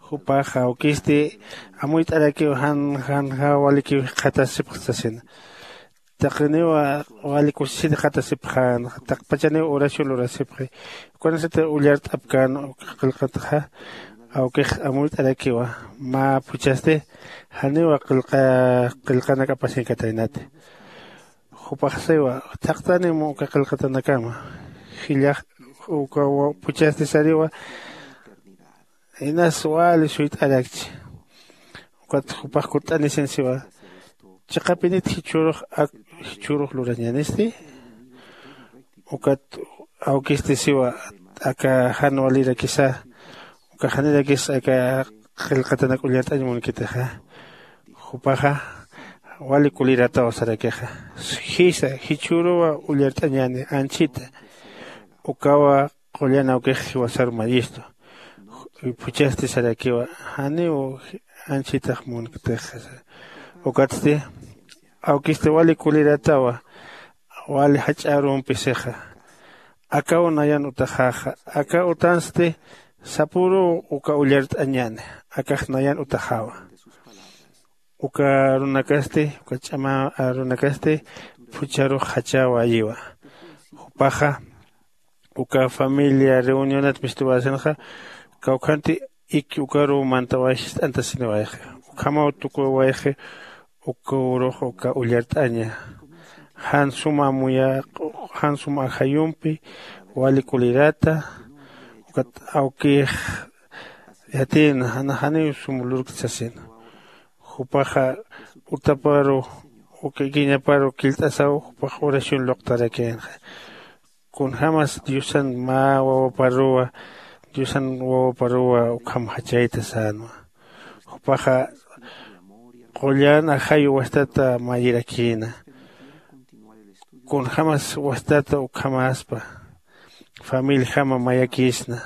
Jupax awkisti amuyt'arakiw jan jan ja walikiw jikxatasipxtasina. Taqiniw wali kusisiti jikxatasipxän, taqpachaniw oración lurasipxi. Ukanasati ullart'apkän uka qillqataxa, awkix amuyt'arakiwa, mä phuchhasti janiw qillqa qillqanak apasinkataynati. Jupaxsiwa, thaqtanim uka qillqatanakama. Jillax uka phuchhasti sariwa, inas wali suyt'arakchi. Ukat jupax kutt'anisin siwa, chiqapinit jichhürux ak jichhürux lurañänisti. Ukat awkisti siwa, aka jan walirakisa, uka janirakis aka qillqatanak ullart'añ munkitixa. Jupaxa wali kulirataw sarakixa. Jisa jichhüruwa ullart'añäni, anchhita. Ukawa qullan awkix jiwasar mayistu. Phuchhasti sarakiwa, janiw anchhitax munktix. Ukatsti awkisti wali kuliratawa, wali jach'a arumpi sixa. Akaw nayan utaxaxa, aka utansti sapüruw uka ullart'añäni, akax nayan utaxawa. Uka arunakasti, uka ch'ama arunakasti phuchharux jachawayiwa. Jupaxa uka familia reunionat mistuwasinxa, kawkhanti iki ukaruw mantaway jist'antasiniwayxi. Ukhamaw tukuwayxi, uka urux uka ullart'aña. Jan suma amuya, jan suma ajayumpi wali kulirata, ukat awkix yatïna, jana janiw sum lurkti sasina. Jupaxa utaparu, uka ikiñaparu killt'asaw, jupax oración luqtarakïnxa. Kunjämas Diosan mä wawaparuwa, Diosan wawaparuwa ukham jachayta sänwa. Jupaxa qullan ajayu wastata mayirakïna. Kunjämas wastata ukhamäspa, familiajama mayakïsna.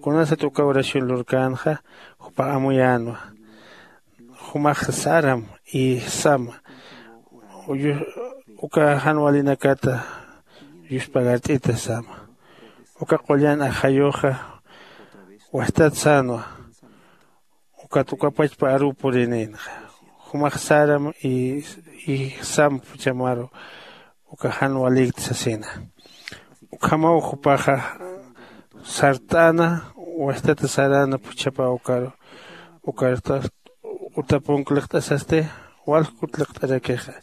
Kunasat uka oración lurkänxa, jupax amuyänwa. Jumax saram y sama. Uyu-, uka jan walinakata yuspagart'ita sama. Uka qullan ajayuxa wastat sänwa. Ukat ukapachpa aruw purinïnxa. Jumax saram y, y sam phuchhamaru uka jan walïkti sasina. Ukhamaw jupaxa sart'äna, wastata saräna phuchhapa ukaru, ukarta utapunk liqt'asasti, walkut liqt'arakixa,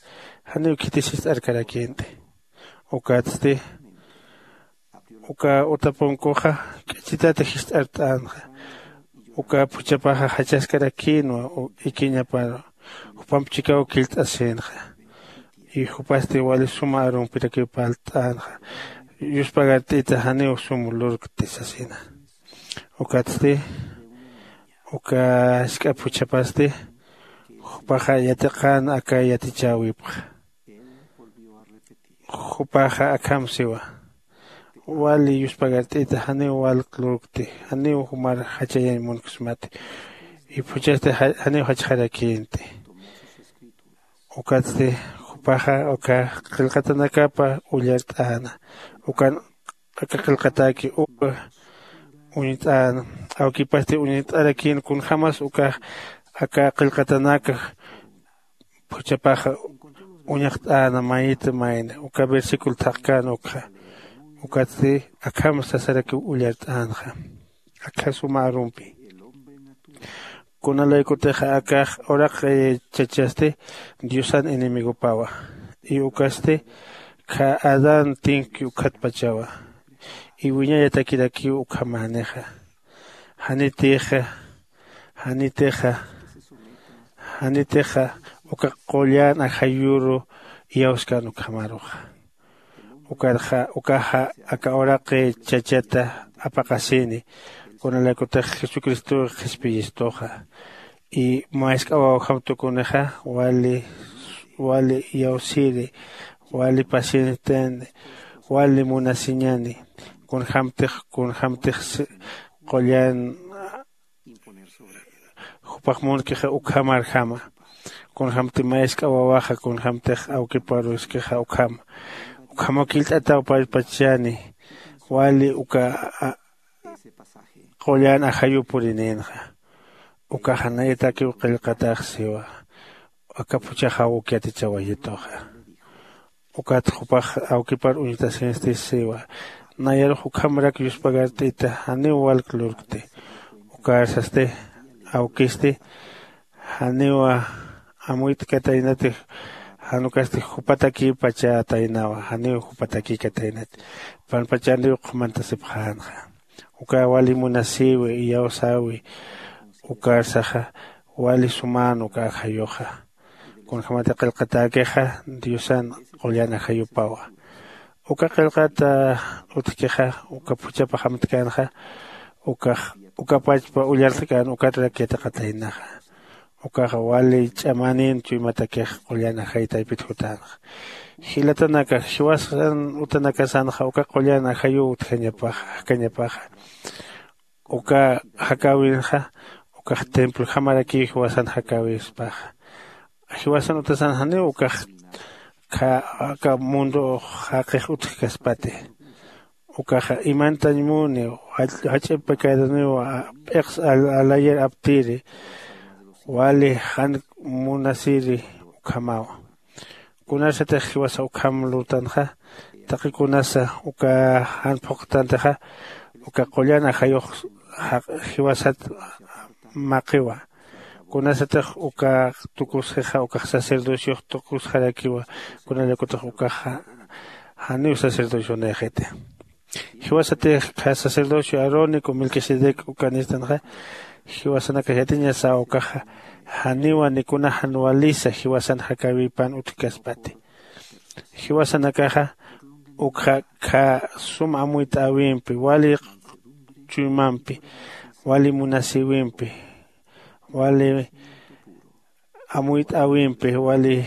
janiw khitis jist'arkarakïnti. Ukatsti, uka utapunkuxa k'ichitata jist'art'änxa. Uka phuchhapaxa jachaskarakïnwa u-, ikiñaparu. Jupamp chikaw killt'asïnxa. Y jupasti wali suma arumpirakiw parlt'änxa. Yuspagart'ita janiw sum lurkti sasina. Ukatsti, uka jisk'a phuchhapasti, jupaxa yatiqän aka yatichäwipxa. Jupaxa akham siwa. Wali yuspagart'ita, janiw walk lurkti, janiw jumar jachayañ munksmati. Y phuchhasti ja-, janiw jachxarakïnti. Ukatsti, jupaxa uka qillqatanakapa ullart'äna. Ukan aka qillqatäki uka uñt'äna. Awkipasti uñt'arakïn kunjämas uka aka qillqatanaka phuchhapaxa uñaxt'äna mayit mayni uka versículo thaqkän ukxa. Ukatsti akham sasarakiw ullart'änxa akha suma arumpi. Kunalaykutixa akax uraq chachasti diosan enemigopawa. Y ukasti khä adán tinki ukkhatpachawa. Y wiñayatakirakiw ukhamänixa. Janitixa janitixa janitixa uka qullan ajayuru iyawskan ukhamaruxa. Ukarxa ukaxa aka uraqi chachata apaqasini. Kunalaykutix jesucristow qhispiyistuxa y mask'aw awjam tukunixa wali wali iyawsiri wali pacienciatani wali munasiñani. Kunjämtix kunjämtix qullan jupax munkixa ukhamarjama. Kunjämti mask'a wawaxa kunjämtix awkiparuskixa ukhama ukhamaw killt'ataw pallpachani. Wali uka qullan ajayu purinïnxa. Ukaxa nayatakiw qillqatax siwa. Aka phuchhaxaw uk yatichawayituxa. Ukat jupax awkipar uñtasinsti siwa. Nayarux ukhamrak yuspagart'ita janiw walk lurkti. Ukarsasti awkisti janiw amuyt'kataynati. Jan ukasti jupatakïpachataynawa janiw jupatakïkataynati. Panpachanriw qhumantasipxänxa. Uka wali munasïwi iyawsäwi ukarsaxa wali sumän uka ajayuxa. Kunjämati qillqatäkixa diosan qullan ajayupawa. Uka qillqata utjkixa uka phuchhapxamtkänxa ukax uka pachpa ullartkän ukatrak yatiqataynaxa. Ukaxa wali ch'amanin chuymatakix qullan ajay taypit jutänxa. Jilatanakax jiwasan utanakasanxa uka qullan ajayuw utjañapaxa jakañapaxa. Uka jakäwinxa ukax templojamarakiw jiwasan jakäwispaxa. Jiwasan utasan janiw ukax aka mundo jaqix utjkaspati. Ukaxa imantañ muni jach'a pecadoniw p'iqs alayir aptiri wali jan munasiri ukhamawa. Kunarsatix jiwasa ukham lurtanxa taqi kunasa uka jan phuqtantixa uka qullan ajayux jiwasat maqiwa. Kunasatix uka tukusxixa ukax sacerdociox tukusxarakiwa. Kunalakutix ukaxa janiw sacerdocionïxiti. Jiwasatix sacerdocio arónico melquisedec uka nistanxa jiwasanakax yatiñasaw ukaxa janiwa nikuna jan walisa jiwasan jakäwipan utjkaspati. Jiwasanakaxa ukxa khä sum amuyt'äwimpi wali chuymampi wali munasïwimpi wali amuyt'äwimpi wali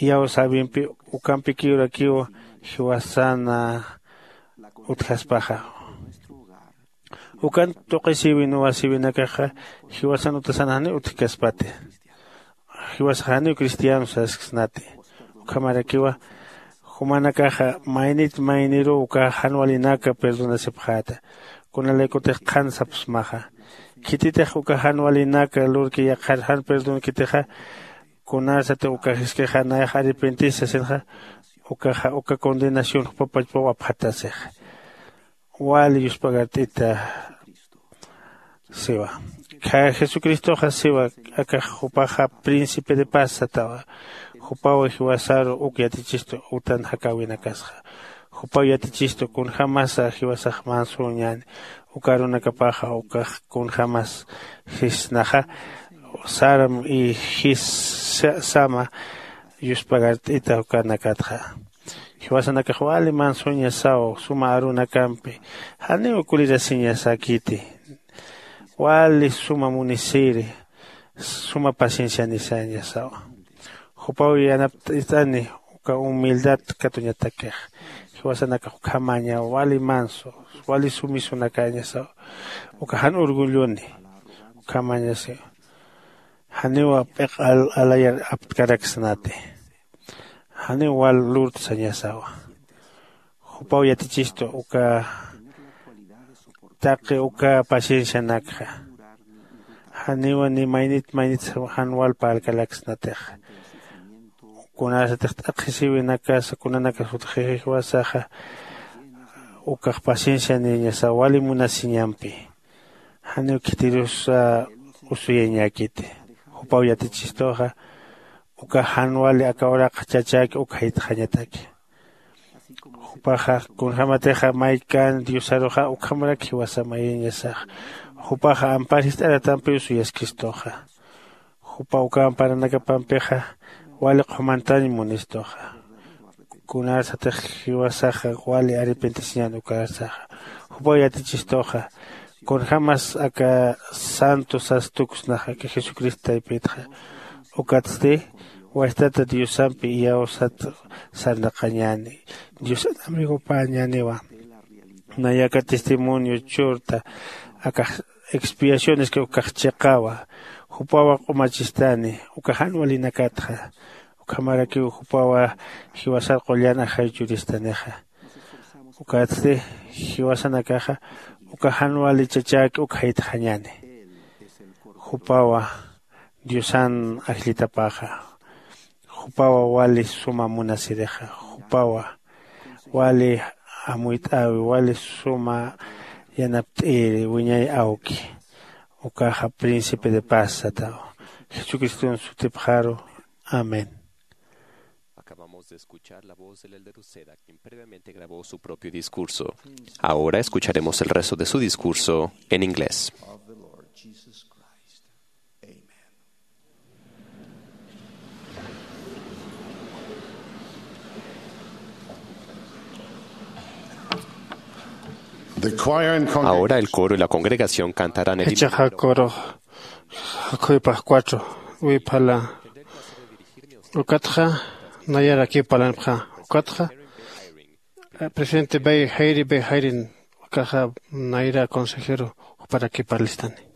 iyawsäwimpi ukampikiw rakiw jiwasan utjaspaxa. Ukan tuqisïwin wasïwinakaxa jiwasan utasan janiw utjkaspati. Jiwasax janiw cristiano sasksnati. Ukhamarakiwa jumanakaxa maynit mayniruw uka jan walinaka perdonasipxäta. Kunalaykutix qhan sapsmaxa khititix uka jan walinaka lurki yaqhar jan perdonkitixa kunasatix uka jiskixa nayax arrepentis sasinxa ukaxa uka condenación jupapachpaw apxatasixa. Wali yuspagart'ita siwa. Jesucristoxa siwa akax jupaxa príncipe de paz satawa. Jupaw jiwasaru uk yatichistu utan jakäwinakasxa. Jupaw yatichistu kunjämasa jiwasax mansüñäni uka arunakapaxa ukax kunjämas jisnaxa saram y jis sama yuspagart'ita ukanakatxa. Jiwasanakax wali mansüñasaw suma arunakampi janiw kulirasiñasäkiti. Wali suma munisiri suma paciencianisañasawa. Jupaw yanapt'ist'ani uka humildad katuñatakix. Jiwasanakax ukhamañaw wali mansu wali sumisunakäñasaw. Uka jan orgulloni ukhamañasi janiw p'iq alayar aptkaraksnati. Janiw wal lurtsañasawa. Jupaw yatichistu uka taqi uka paciencianakxa. Janiwa ni maynit maynit jan wal parlkalaksnatixa. kunasatix t'aqhisiwinakasa kunanakas utjixi jiwasaxa, ukax paciencianiñasa wali munasiñampi. Janiw khitirusa usuyañäkiti. Jupaw yatichistuxa uka jan wali aka uraqxa chachäki uk jaytxañataki. Jupaxa kunjämatixa maykan diosaruxa ukhamarak jiwasa mayiñasaxa. Jupaxa ampar jist'aratampiw suyaskistuxa. Jupa uka amparanakapampixa wali qhumantañ munistuxa. Kunasatix jiwasaxa wali arrepentisiñan ukarsaxa. Jupaw yatichistuxa kunjämas aka santo sas tuksnax aka jesucristo taypitxa. Ukatsti wajtata diosampi iyawsat sarnaqañäni. Diosan amigopäñäniwa. Nayaka testimonio churta akax expiacioneska ukax chiqawa. Jupawa q'umachistani uka jan walinakatxa. Ukhamarakiw jupawa jiwasar qullan ajay churistanixa. Ukatsti jiwasanakaxa uka jan wali chachäki uk jaytxañäni. Jupawa diosan ajllitapaxa. Jupawa wali suma munasirixa. Jupawa wali amuyt'äwi wali suma yanapt'iri wiñay awki. Ukaxa príncipe de paz sataw. Jesucriston sutipxaru. Amén. Acabamos de escuchar la voz del elder Uceda, quien previamente grabó su propio discurso. Ahora escucharemos el resto de su discurso en inglés. Ahora el coro y la congregación cantarán el himno. Jichhaxa coro jakhuwipax cuatro wiphala. Ukatxa nayarakiw parlanipxä. Ukatxa presidente Bay Jairi Bay Jairin ukaxa nayra consejero juparakipar listani.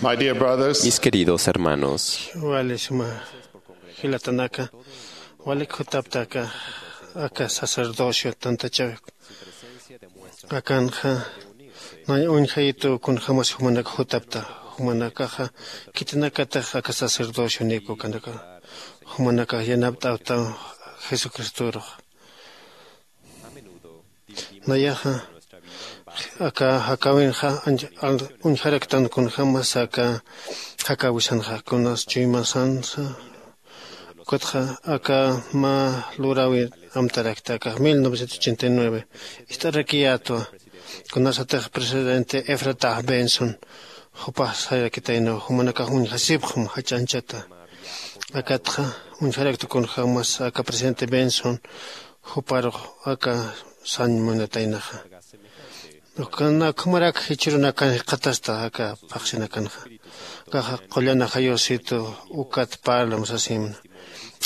My dear brothers, mis queridos hermanos, wali suma jilatanaka, walik jutaptaka aka sacerdocio tantachawi akanxa, nay uñjayitu kunjämas jumanaka jutapta, jumanakaxa khitinakatix aka sacerdocio niku kanaka, jumanakax yanapt'awta jesucristorux. Nayaxa aka jakäwinxa uñjaraktan kunjämas aka jakäwisanxa kunas chuymasansa. Ukatxa aka mä luräwi amtarakta aka mil novecientos ochenta y nueve ist'arakiyätwa, kunasatix presidente Efrata Benson jupax sayarakitaynaw jumanakax uñjasipxam jach'anchata. Akatxa uñjarakta kunjämas aka presidente Benson juparux aka sañ munataynaxa. Ukana ukhamarak jichhürunakan jikxatasta aka phaxsinakanxa. Akaxa qullan ajayusitu ukat parlam sasimna.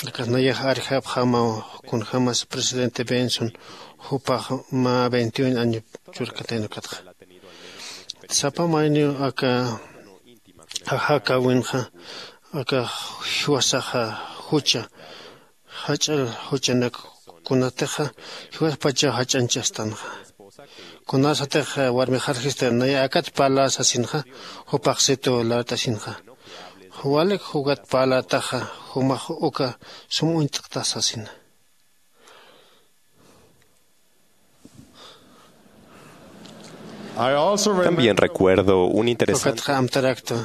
Akas nayax arjapxamaw kunjämas presidente Benson jupax mä veintiún año churkatayna ukatxa. Sapa mayniw aka jakäwinxa aka jiwasaxa jucha jach'a juchanak kunatixa jiwaspachaw jach'anchastanxa. Kunasatix warmixarjista naya akat parla sasinxa, jupaxsitu lart'asinxa, walik jukat parlataxa jumax uka sum uñt'kta sasina. También recuerdo un interesante. Ukatxa amtarakta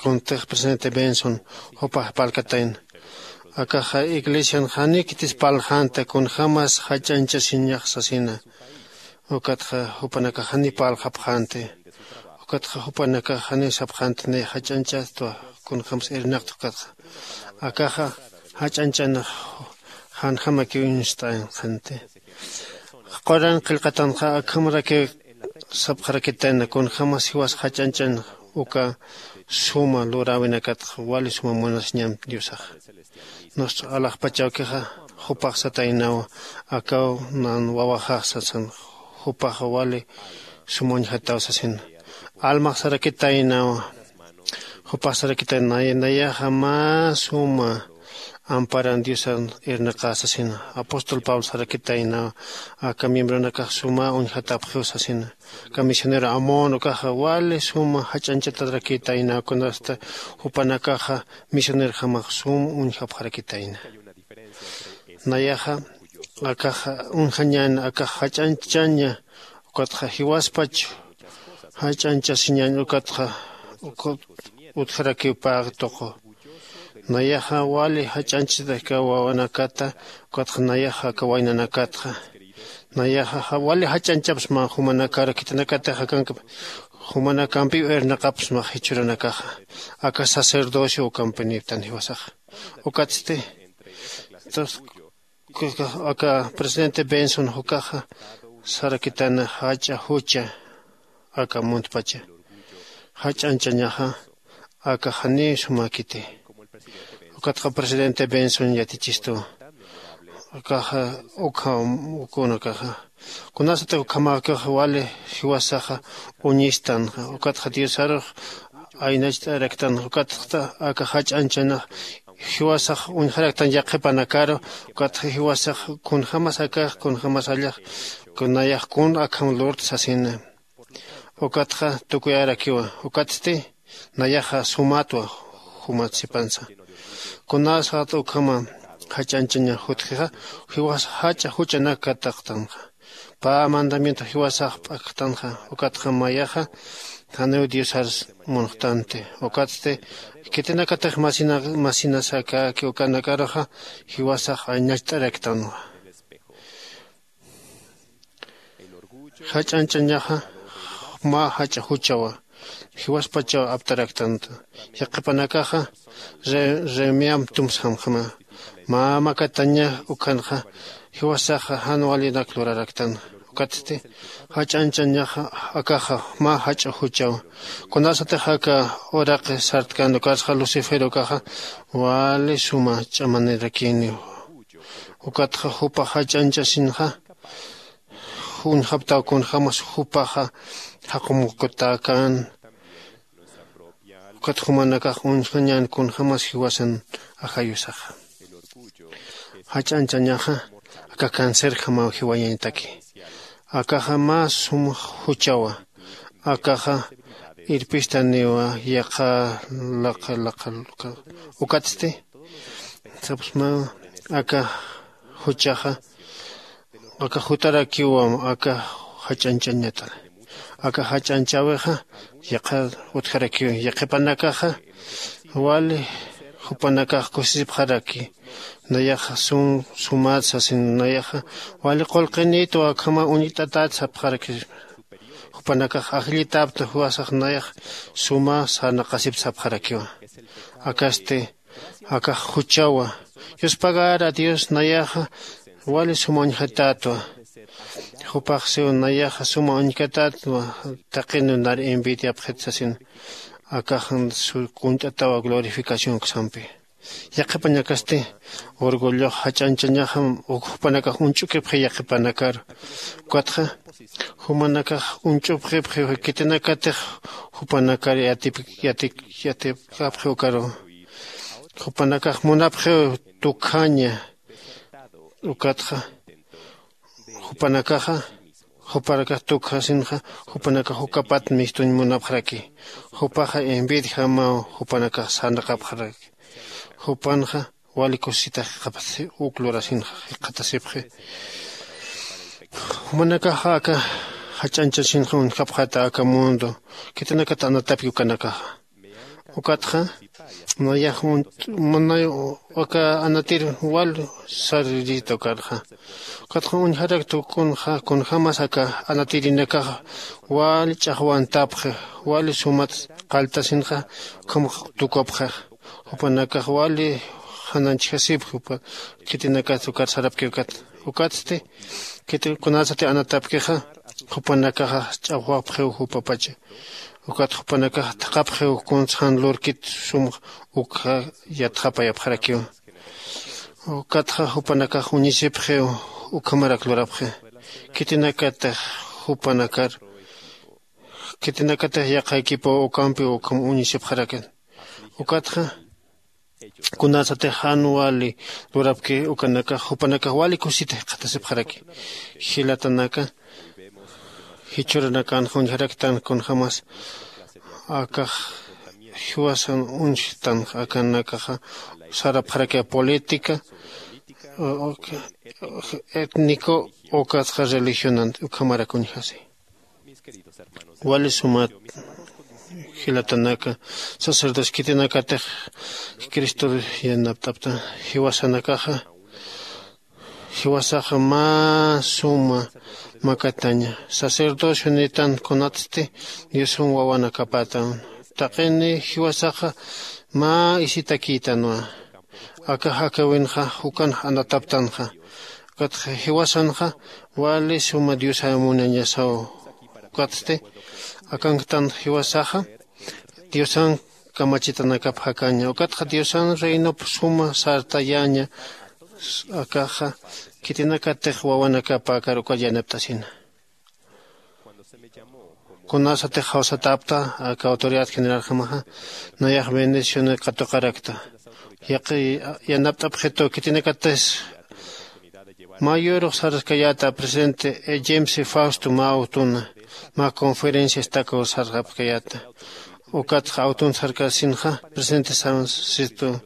kuntix presidente Benson jupax parlkatayna. Akaxa iglesian janikitis parlxänti kunjämas jach'anchasiñax sasina. Ukatxa jupanakax jani parlxapxänti. Ukatxa jupanakax jani sapxänti ni jach'anchätwa kunjämas irnaqta ukatxa. Akaxa jach'anchanax janjamakiw uñst'ayanxänti. Quran qillqatanxa akhamarakiw sapxarakitayna kunjämas jiwas jach'anchan uka suma luräwinakatxa wali suma munasiñam diosaxa. Nuestro alaxpachawkixa jupax sataynawa, akaw nan wawaxax sasan, jupaxa wali suma uñjataw sasina. Almax sarakitaynawa, jupax sarakitaynawa nayaxa mä suma amparan diosan irnaqä sasina. Apóstol pablo sarakitaynawa aka miembronakax suma uñjatapxiw sasina. Aka misionero amón ukaxa wali suma jach'anchatarakitaynawa kunasta jupanakaxa misionerjamax sum uñjapxarakitayna. Nayaxa akaxa uñjañäni akax jach'anchaña ukatxa jiwaspach jach'anchasiñäni ukatxa utjarakiw pä tuqu. Nayaxa wali jach'anchasita aka wawanakata ukatxa nayaxa aka waynanakatxa. Nayaxa wali jach'anchapxsma jumanakar khitinakatix akank jumanakampiw irnaqapxsma jichhürunakaxa aka sacerdocio ukampi niptan jiwasaxa. Ukatsti aka presidente benson jukaxa sarakitana jach'a jucha aka muntpacha jach'anchañaxa aka janiw sumäkiti. Ukatxa presidente benson yatichistu akaxa ukham ukunakaxa kunasatix ukhamäkix wali jiwasaxa uñistan ukatxa diosarux aynacht'araktan ukatxa aka jach'anchanax jiwasax uñjaraktan yaqhipanakaru. Ukatxa jiwasax kunjämas akax kunjämas allax kunayax kun akham lurta sasina. Ukatxa tukuyarakiwa ukatsti nayaxa sumatwa jumat sipansa. Kunasat ukhama jach'anchaña jutjixa jiwas jach'a juchanak kataqtanxa pä mandamiento jiwasax p'akxtanxa. Ukatxa mayaxa janiw diosar munxtanti ukatsti khitinakatix masinas akäki ukanakaruxa jiwasax aynacht'araktanwa. Jach'anchañaxa mä jach'a juchawa jiwaspachaw aptaraktanta. Yaqhipanakaxa remiamp tumsxamxama mä makataña ukhanxa jiwasaxa jan walinak luraraktana. Ukatsti jach'anchañaxa akaxa mä jach'a juchawa kunasatix aka uraqi sartkan ukasxa lucifer ukaxa wali suma ch'amanirakiniw. Ukatxa jupax jach'anchasinxa uñjaptaw kunjämas jupaxa jaqumukutäkän Jumanakax uñjañän kunjämas jiwasan ajayusaxa. Jach'añchañaxa aka cancerjamaw jiwayañataki. Akaxa mä sum juchawa. Akaxa irpistaniwa yaqha laqha laqha laqha. Ukatsti sapsma aka juchaxa aka jutarakiwam aka jach'añchañatar. Aka jach'añchäwixa yaqha utjarakiw yaqhipanakaxa wali jupanakax kusisipxaraki. Nayaxa sum sumat sasin nayaxa wali qullqinïtwa akhama uñt'atat sapxaraki. Jupanakax ajllitapta juwasax nayax suma sarnaqasip sapxarakiwa. Akasti akax juchawa. Yuspagara dios nayaxa wali suma uñjatätwa. Jupax siw nayaxa suma uñkatätwa. Taqinu nar envidiapxit sasin akax kunt'atawa glorificación uksampi. Yaqhipañakasti orgullox jach'añchañaxa jupanakax uñch'ukipxi yaqhipanakar. Ukatxa jumanakax uñch'upxipxi khitinakatix jupanakar yatipkapxi ukaru. Jupanakax munapxiw tukjaña. Ukatxa jupanakaxa jupanakax tukjasinxa jupanakax ukapat mistuñ munapxaraki. Jupaxa envidjamaw jupanakax sarnaqapxaraki. Jupanxa wali kusisitax jikxatasi uk lurasinxa jikxatasipxi. Jumanakaxa aka jach'añchasinxa uñjapxata aka mundo khitinakat anatapki ukanakaxa. Ukatxa nayax munay aka anatir wal saririta ukarxa. Ukatxa uñjarakta kunxa kunjämas aka anatirinakaxa wal ch'axwantapxi. Wal sumat qalltasinxa ukham tukupxix. Jupanakax wali jananchjasipxi upa khitinakat ukar sarapki ukat. Ukatsti khiti kunasati anatapkixa jupanakaxa ch'axwapxiw jupapacha. Ukat jupanakax thaqhapxiw kunsa jan lurkit sum ukxa yatxapayapxarakiw. Ukatxa jupanakax uñisipxiw ukhamarak lurapxi. Khitinakatix jupanakar khitinakatix yaqha equipow ukampiw ukham uñisipxarakin. Ukatxa kunasatix jan wali lurapki ukanakax jupanakax wali kusita jikxatasipxaraki. Jilatanaka jichhüranakanxa uñjaraktan kunjämas akax jiwasan uñjtanxa akanakaxa sarapxarakiw política étnico ukatxa religionan ukhamarak uñjasi. Wali sumat jilatanaka sacerdocio khitinakatix cristor yanapt'apta jiwasanakaxa jiwasaxa mä suma makataña sacerdocio nitan kunatsti diosan wawanakapätan. Taqini jiwasaxa mä isitakïtanwa. Aka jakäwinxa jukan anataptanxa. Ukatxa jiwasanxa wali suma diosaw munañasaw. Ukatsti akanktanxa jiwasaxa diosan kamachitanakap jakaña ukatxa diosan reinop suma sartayaña. Akaxa khitinakatix wawanakapäkar uka yanapt'asina. Kunasatix jawsatäpta aka autoridad generalxamaxa nayax bendicionir katuqarakta. Yaqi yanapt'apxitu khitinakatis mä yürux sarskayäta presidente james fausto mä awtuna mä conferencia estaco sarxapkayäta. Ukatxa awtun sarkasinxa presidente sansitu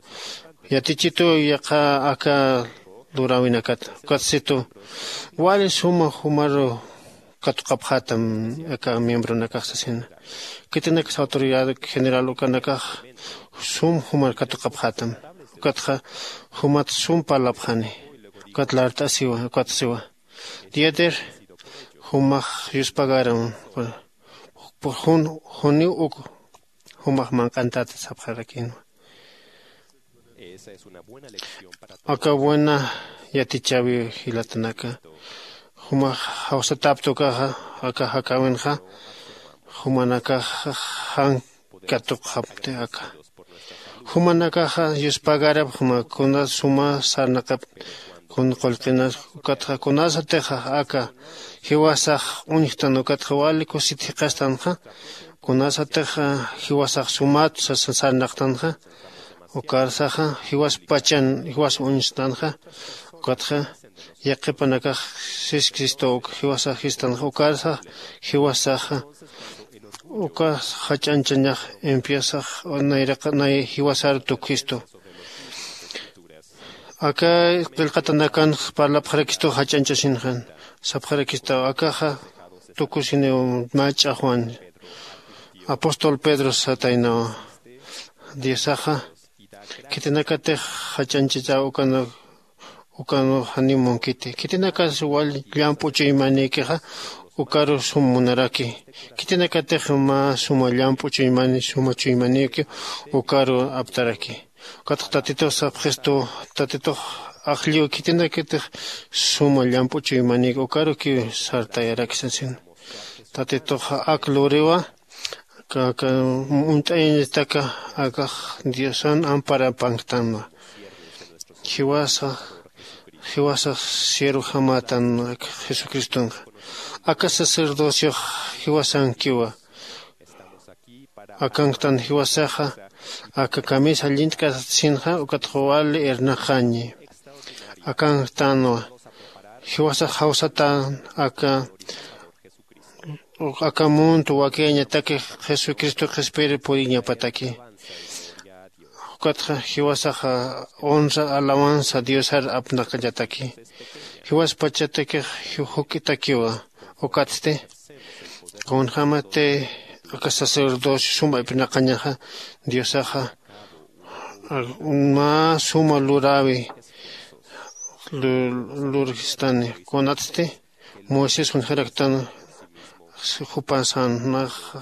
yatichitu yaqha aka luräwinakat ukatsitu wali suma jumaru katuqapxätam aka miembronakax sasina. Khitinaksa autoridad general ukanakax sum jumar katuqapxätam. Ukatxa jumat sum parlapxani. Ukat lart'asiwa ukat siwa diader jumax yuspagaram jun juniw uk jumax manq'antat sapxarakinwa. Aka buena yatichäwi jilatanaka jumax jawsatäpta ukaxa aka jakäwinxa jumanakax jan katuqxapti aka jumanakaxa yuspagarapxma kuna suma sarnaqap kun qullqinas ukatxa kunasatixa aka jiwasax uñjtan ukatxa wali kusit jiqastanxa Kunasatix jiwasax sumat sasa sarnaqtanxa, ukarsaxa jiwaspachan jiwas uñstanxa, ukatxa yaqhipanakax sis cristo uk jiwasax jistanxa ukarsax jiwasaxa uka jach'anchañax empiesax nayraqa nay jiwasar tukjistu. Aka qillqatanakan parlapxarakistu jach'anchasinxan sapxarakistaw akaxa tukusiniw mach'a juan apóstol pedro sataynawa. Diosaxa khitinakatix jach'anchachaw ukana ukana janiw munkiti khitinakas wal llamp'u chuymanikixa ukaru sum munaraki khitinakatix mä suma llamp'u chuymani suma chuymanikiw ukaru aptaraki. Ukatxa tatitux sapxistu tatitux ajlliw khitinakatix suma llamp'u chuymanik ukarukiw sartayarak sasin. Tatitux ak luriwa aka uñt'ayañataka akax diosan amparapanktanwa. Jiwasax jiwasax siervojamatan jesucristonxa aka sacerdociox jiwasankiwa. Akanktan jiwasaxa aka kamisa llint'katsinxa ukatxa wali irnaqañi. Akanktanwa jiwasax jawsatan aka aka mundo wakiyañataki jesucristo qhispiri puriñapataki. Ukatxa jiwasaxa honra alabanza diosar apnaqallataki. Jiwaspachatakix juk'itakiwa. Ukatsti kunjämati aka sacerdocio suma ipnaqañaxa diosaxa mä suma luräwi lurjistani. Kunatsti moisés uñjaraktan jupasan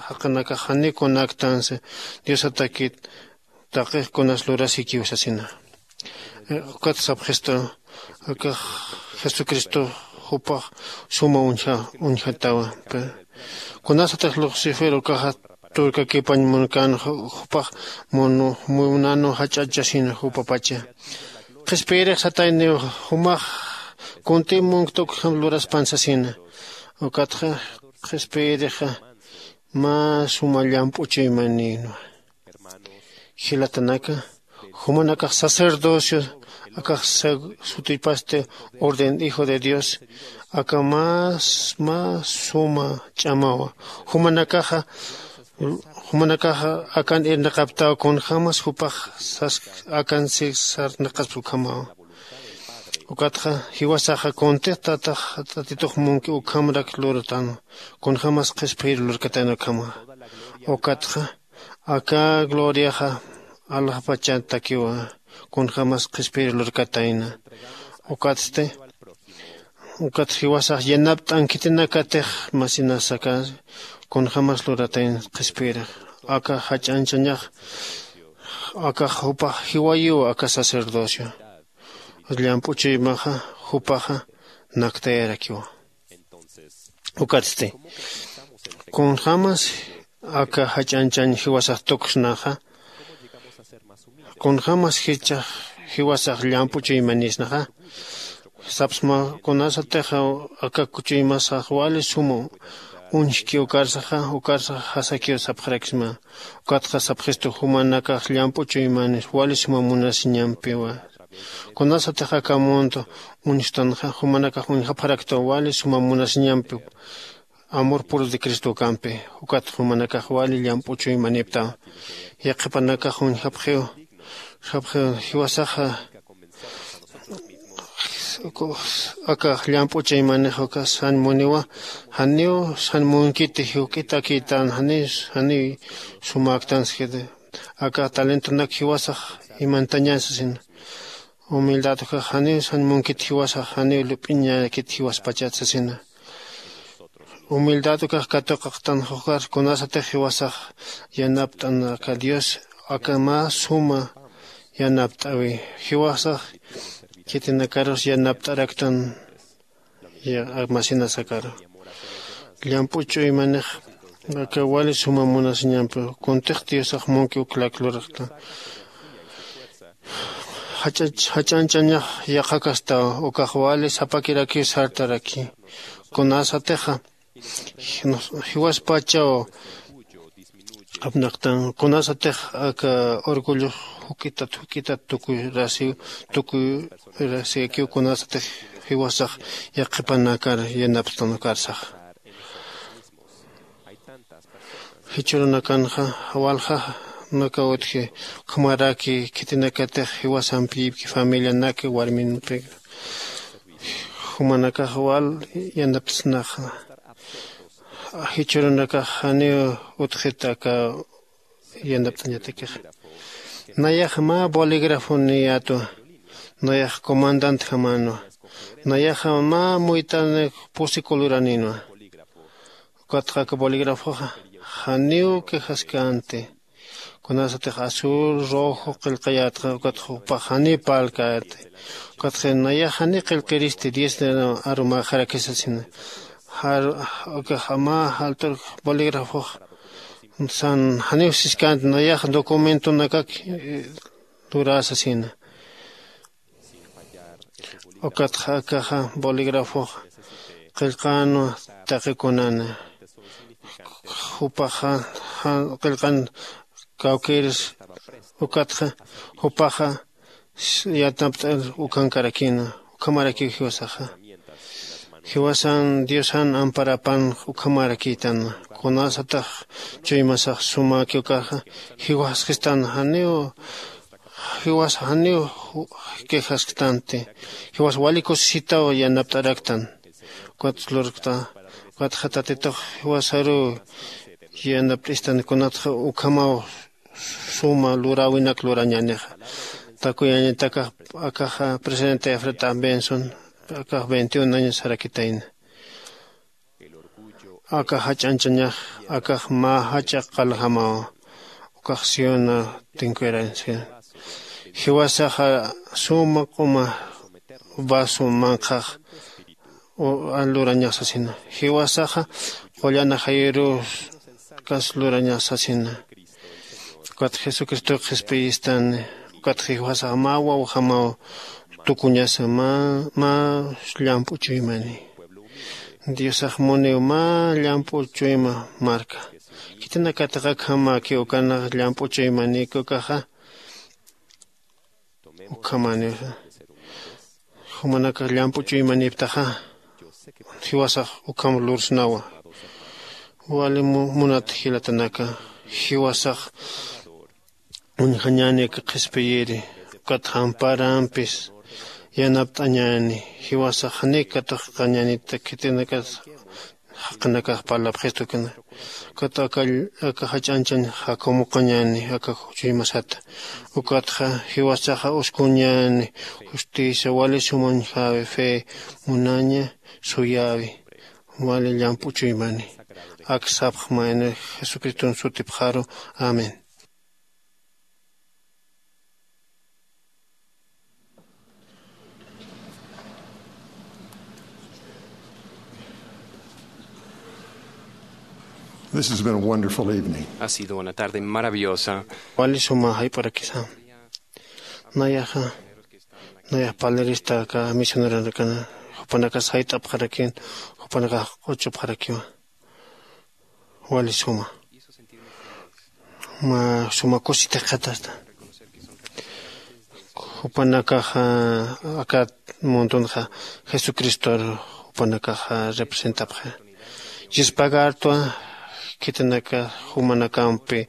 jaqinakax janiw kunaktansi diosatakit taqix kunas lurasikiw sasina. Ukat sapxistu akax jesucristo jupax suma uñja uñjatawa. Kunasatix luxcifer ukaxa turkakipañ munkan jupax munanu jach'achasina jupapacha qhispiyirix satayniw jumax kunti munkta ukjam luraspan sasina. Ukatxa qhispiyirixa mä suma llamp'u chuymanïnwa. Jilatanaka jumanakax sacerdocio akax sutipasti orden hijo de dios aka más más suma ch'amawa. Jumanakaxa jumanakaxa akan irnaqaptaw kunjämas jupax sas akan si sarnaqaspa ukhamawa. Ukatxa jiwasaxa kuntix tatax tatitux munki ukhamrak luratan kunjämas qhispiyir lurkatan ukhama. Ukatxa aka gloriaxa alaxpachatakiwa kunjämas qhispiyir lurkatayna. Ukatsti ukat jiwasax yanapt'an khitinakatix masinasaka kunjämas luratayna qhispiyirix aka jach'anchañax akax jupax jiwayiw aka sacerdocio llamp'u chuymaxa jupaxa naktayarakiwa. Ukatsti kunjämas aka jach'anchañ jiwasax tuksnaxa kunjämas jichhax jiwasax llamp'u chuymanisnaxa sapsma kunasatix aka chuymasax wali suma uñjki ukarsaxa ukarsax jasakiw sapxarakisma. Ukatxa sapxistu jumanakax llamp'u chuymanis wali suma munasiñampiwa. Kunasatix aka mundo uñstanxa jumanakax uñjapxaraktaw wali suma munasiñampi amor puro de cristo ukampi. Ukat jumanakax wali llamp'u chuymaniptaw yaqhipanakax uñjapxiw. Sapxiw jiwasaxa aka llamp'u chuymanix uka san muniwa janiw san munkiti juk'itakïtan janiw janiw sumäktanskiti. Aka talentonak jiwasax imantañan sasina. Humildad ukax janiw san munkit jiwasax janiw lup'iñakit jiwaspachat sasina. Humildad ukax katuqaqtan jukar kunasatix jiwasax yanapt'an aka dios aka mä suma yanapt'äwi. Jiwasax khitinakarus yanapt'araktan masina sakaru llamp'u ch'uymanix aka wali suma munasiñampi kuntix diosax munki uklak luraqta. Jach'anchañax yaqhakastaw ukax wali sapakirakiw sartaraki. Kunasatixa jiwaspachaw Qapnaqtan kunasatix aka orgullo juk'itat juk'itat tukuyraxiw tukuyraxikiw kunasatix jiwasax yaqhipanakar yanapxtan ukarsax. Jichhürunakanxa walja naka utji ukhamaraki khitinakatix jiwasampiyipki familianaki warminpi jumanakax wal yanapt'snaxa. Jichhürunakax janiw utjit aka yanapt'añatakixa. Nayax mä bolígrafoniyätwa. Nayax comandantjamänwa. Nayaxa mä muyt'anik pusi coloranïnwa. Ukatxa aka bolígrafoxa janiw quejaskänti. Kunasatix azul rojo qillqayätxa ukatxa jupax janiw parlkäti. Ukatxa nayax janiw qillqiristi diez arumäxaraki sasina. Jar ukax mä jaltur bolígrafox san janiw siskänti nayax documentonakak luräsasina. Ukatxa akaxa bolígrafox qillqänwa taqi kunana. Jupaxa qillqan kawkïrs. Ukatxa jupaxa yanapt'ir ukankarakïna. Ukhamarakiw jiwasaxa jiwasan diosan amparapan. Ukhamarakïtan kunasatax chuymasax sumäki ukaxa jiwaskistan janiw jiwas janiw quejasktanti. Jiwas wali kusisitaw yanapt'araktan. Ukat lurkta ukatxa tatitux jiwasaruw yanapt'istan kunatxa ukhamaw suma luräwinak lurañänixa. Takuyañatakax akaxa presidente efreta benson akax veintiun años sarakitayna. Aka jach'anchañax akax mä jach'a qaljamaw. Ukax siona tinkuyarañsa jiwasaxa suma q'uma vaso manqhax lurañax sasina. Jiwasaxa qullana jayuruw kas lurañax sasina. Ukat jesucristow qhispiyistani. Ukat jiwasax mä wawjamaw tukuñasa mä llamp'u chuymani. Diosax muniw mä llamp'u chuyma marka. Khitinakatix akhamäki ukanax llamp'u chuymanïki ukaxa ukhamäniw jumanakax llamp'u chuymanïptaxa jiwasax ukham lursnawa. Wali munat jilatanaka jiwasax uñjañäni aka qhispiyiri ukat jamparampis yanapt'añäni. Jiwasax janiw katuqkañänita khitinakas jaqinakax parlapxistu ukana. Ukat aka jach'anchañ jakumuqañäni aka chuymasata. Ukatxa jiwasaxa uskuñäni justicia wali sumañjäwi fe munaña suyäwi wali llamp'u chuymani. Ak sapxmayni jesucriston sutipxaru. Amén. This has been a wonderful evening. Ha sido una tarde maravillosa. Wali suma jayp'arakisa. Nayaxa nayax palerista aka misioneronakana jupanakas jayt'apxarakin jupanakax q'uchupxarakiwa. Wali suma mä suma kusitix qhatasta. Jupanakaxa aka mundunxa jesucristor jupanakaxa representapxi. Yuspagartwa khitinaka jumanakampi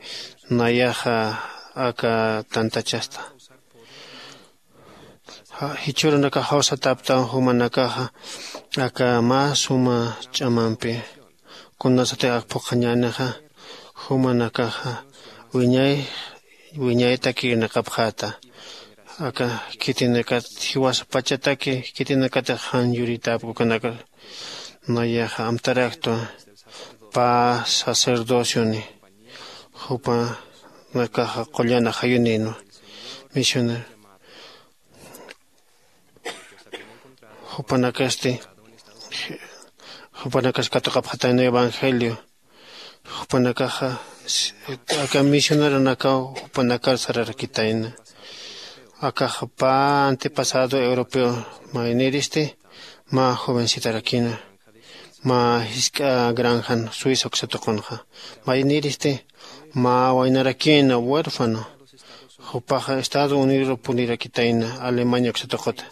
nayaxa aka tantachasta. Jichhürunakax jawsataptan jumanakaxa aka mä suma ch'amampi kunasatix ak phuqhañänixa jumanakaxa wiñay wiñaytak irnaqapxäta. Aka khitinakat jiwasa pachataki khitinakatix jan yuritäpki ukanaka. Nayaxa amtaraktwa pä sacerdocioni jupanakaxa qullana jayunïnwa. Misionero jupanakasti jupanakas katuqapxatayna evangelio. Jupanakaxa aka misioneronakaw jupanakar sararakitayna. Akaxa pä antepasado europeo mayniristi mä jovencitarakina. mä jisk'a granjan suiza uksa tuqunxa. Mayniristi mä waynarakïna huérfano, jupaxa estados unidosru purirakitayna alemania uksa tuquta.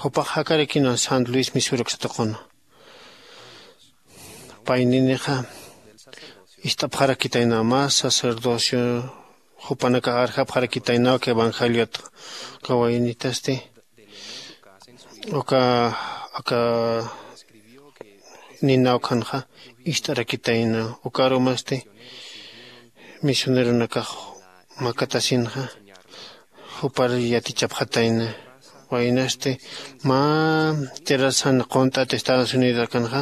Jupax jakarakïna san luis misur uksa tuquna. Payninixa ist'apxarakitayna mä sacerdocio jupanakax arjapxarakitaynaw aka evangeliot. Uka waynitasti uka aka ninaw khanxa ist'arakitayna. Ukarumasti misioneronakax makatasinxa jupar yatichapxatayna. Waynasti mä tierrasan qunt'at estados unidos akanxa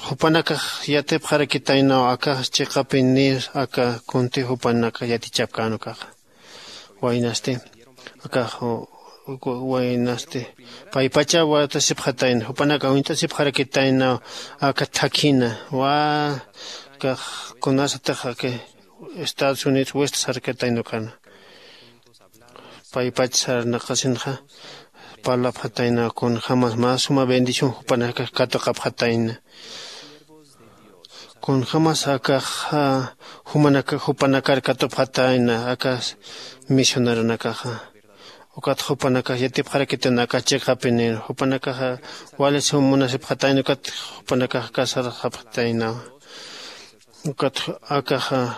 jupanakax yatipxarakitaynaw aka chiqapin nir aka kunti jupanaka yatichapkän ukaxa. Waynasti aka waynasti paypacha watasipxatayna jupanaka uñt'asipxarakitaynaw aka thakina wa kax kunasatix aka estados unidos west sarkatayna ukana. Paypach sarnaqasinxa parlapxatayna kunjämas mä suma bendición jupanakax katuqapxatayna. Kunjämas akax jumanaka jupanakar katupxatayna aka misioneronakaxa. Ukat jupanakax yatipxarakitayna aka chiqapinir jupanakaxa wali sum munasipxatayna ukat jupanakax kasarxapxataynawa. Ukat akaxa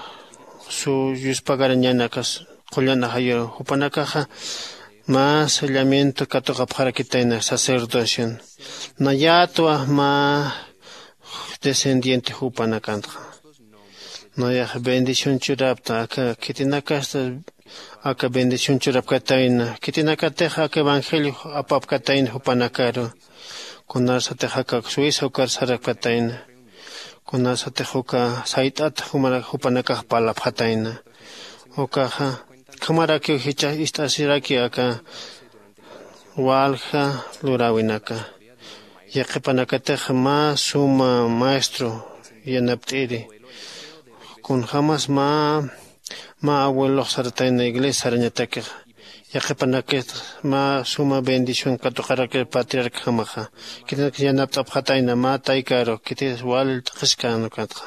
su yuspagarañäni akas qullan ajayuruw jupanakaxa mä sellamiento katuqapxarakitayna sacerdocion. Nayätwa mä descendiente jupanakantxa nayax bendición churapta aka khitinakasta aka bendición churapkatayna khitinakatix aka evangelio apapkatayna jupanakaru. Kunasatix aka suiza ukar sarapkatayna kunasatix uka sayt'at jupanakax parlapxatayna. Ukaxa ukhamarakiw jichhax ist'asiraki aka walja luräwinaka. Yaqhipanakatix mä suma maestro yanapt'iri kunjämas mä mä abuelox saratayna iglesia sarañatakixa. Yaqhipanakatix mä suma bendición katuqarakir patriarcajamaxa. Khitinakatix yanapt'apxatayna mä taykaru khitis wali t'aqhiskän ukatxa.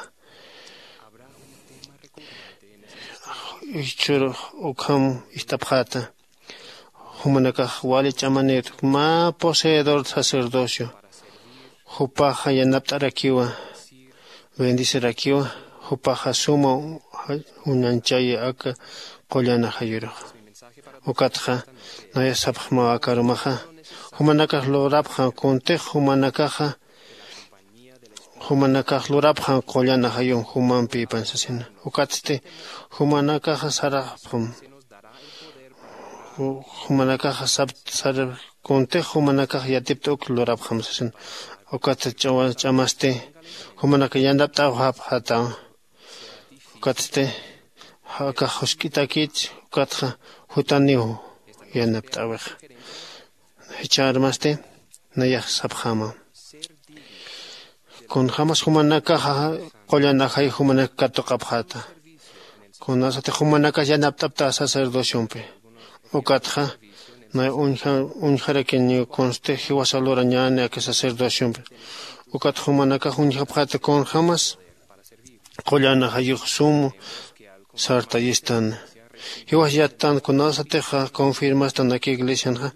Jichhürux ukham ist'apxäta jumanakax wali ch'amanït mä poseedor sacerdocio. Jupaxa yanapt'arakiwa bendecirakiwa. Jupaxa suma uñanchayi aka qullan ajayuruxa. Ukatxa naya sapxmaw aka arumaxa jumanakax lurapxam kuntix jumanakaxa jumanakax lurapxam qullan ajayum jumampipan sasina. Ukatsti jumanakaxa sarapxam jumanakaxa sap sar kuntix jumanakax yatipt'uk lurapxam sasin. Ukat ch'amasti jumanakax yanapt'awxapxata. Ukatsti akax jusk'itakich ukatxa jutaniw yanapt'awixa. Jichharmasti nayax sapxama kunjämas jumanakaxa qullan ajay jumanak katuqapxata. Kunasatix jumanakax yanapt'apta sacerdociompi ukatxa nay uñjarakiniw kunsti jiwasa lurañäni aka sacerdociompi. Ukat jumanakax uñjapxata kunjämas qullan ajayux sum sartayistan. Jiwas yattan kunasatixa confirmastan aka iglesianxa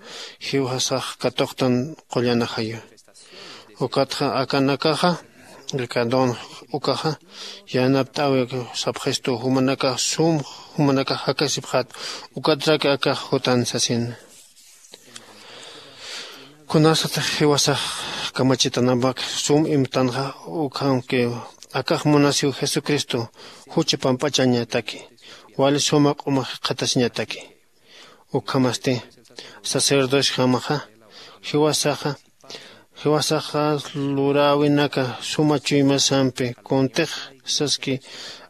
jiwasax katuqtan qullan ajayu. Ukatxa akanakaxa aka don ukaxa yanapt'äwi sapxistu jumanakax sum jumanakax jakasipxät. Ukatrak akax jutan sasin kunasatix jiwasax kamachitanampak sum imtanxa ukhamkiw. Akax munasiw jesucristo jucha pampachañataki wali suma q'uma jikxatasiñataki. Ukhamasti sacerdociojamaxa jiwasaxa jiwasaxa luräwinaka suma chuymasampi kuntix saski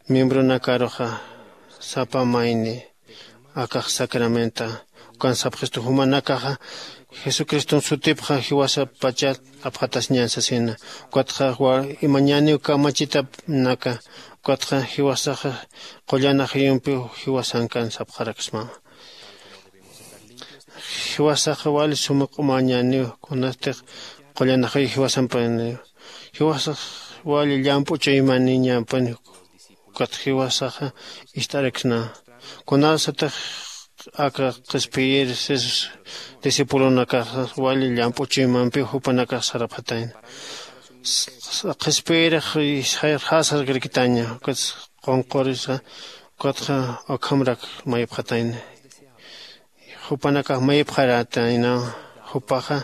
miembronakaruxa sapa mayni akax sacramenta ukan sapxistu jumanakaxa jesucriston sutipxa jiwasapachat apxatasiñan sasina. Ukatxa imañäniw kamachitapnaka ukatxa jiwasaxa qullan ajayumpiw jiwasankan sapxaraksmama. Jiwasaxa wali suma q'umañäniw kunastix qullan ajayu jiwasampaniw Jiwasax wali llamp'u chuymaniñampani. Ukat jiwasaxa ist'araksna kunasatix aka qhispiyir sis discipulonakaxa wali llamp'u chuymampiw jupanakax sarapxatayna. Qhispiyirix jasarkrakitaña ukat qunqurisa ukatxa ukhamrak mayipxatayna. Jupanakax mayipxarätaynaw jupaxa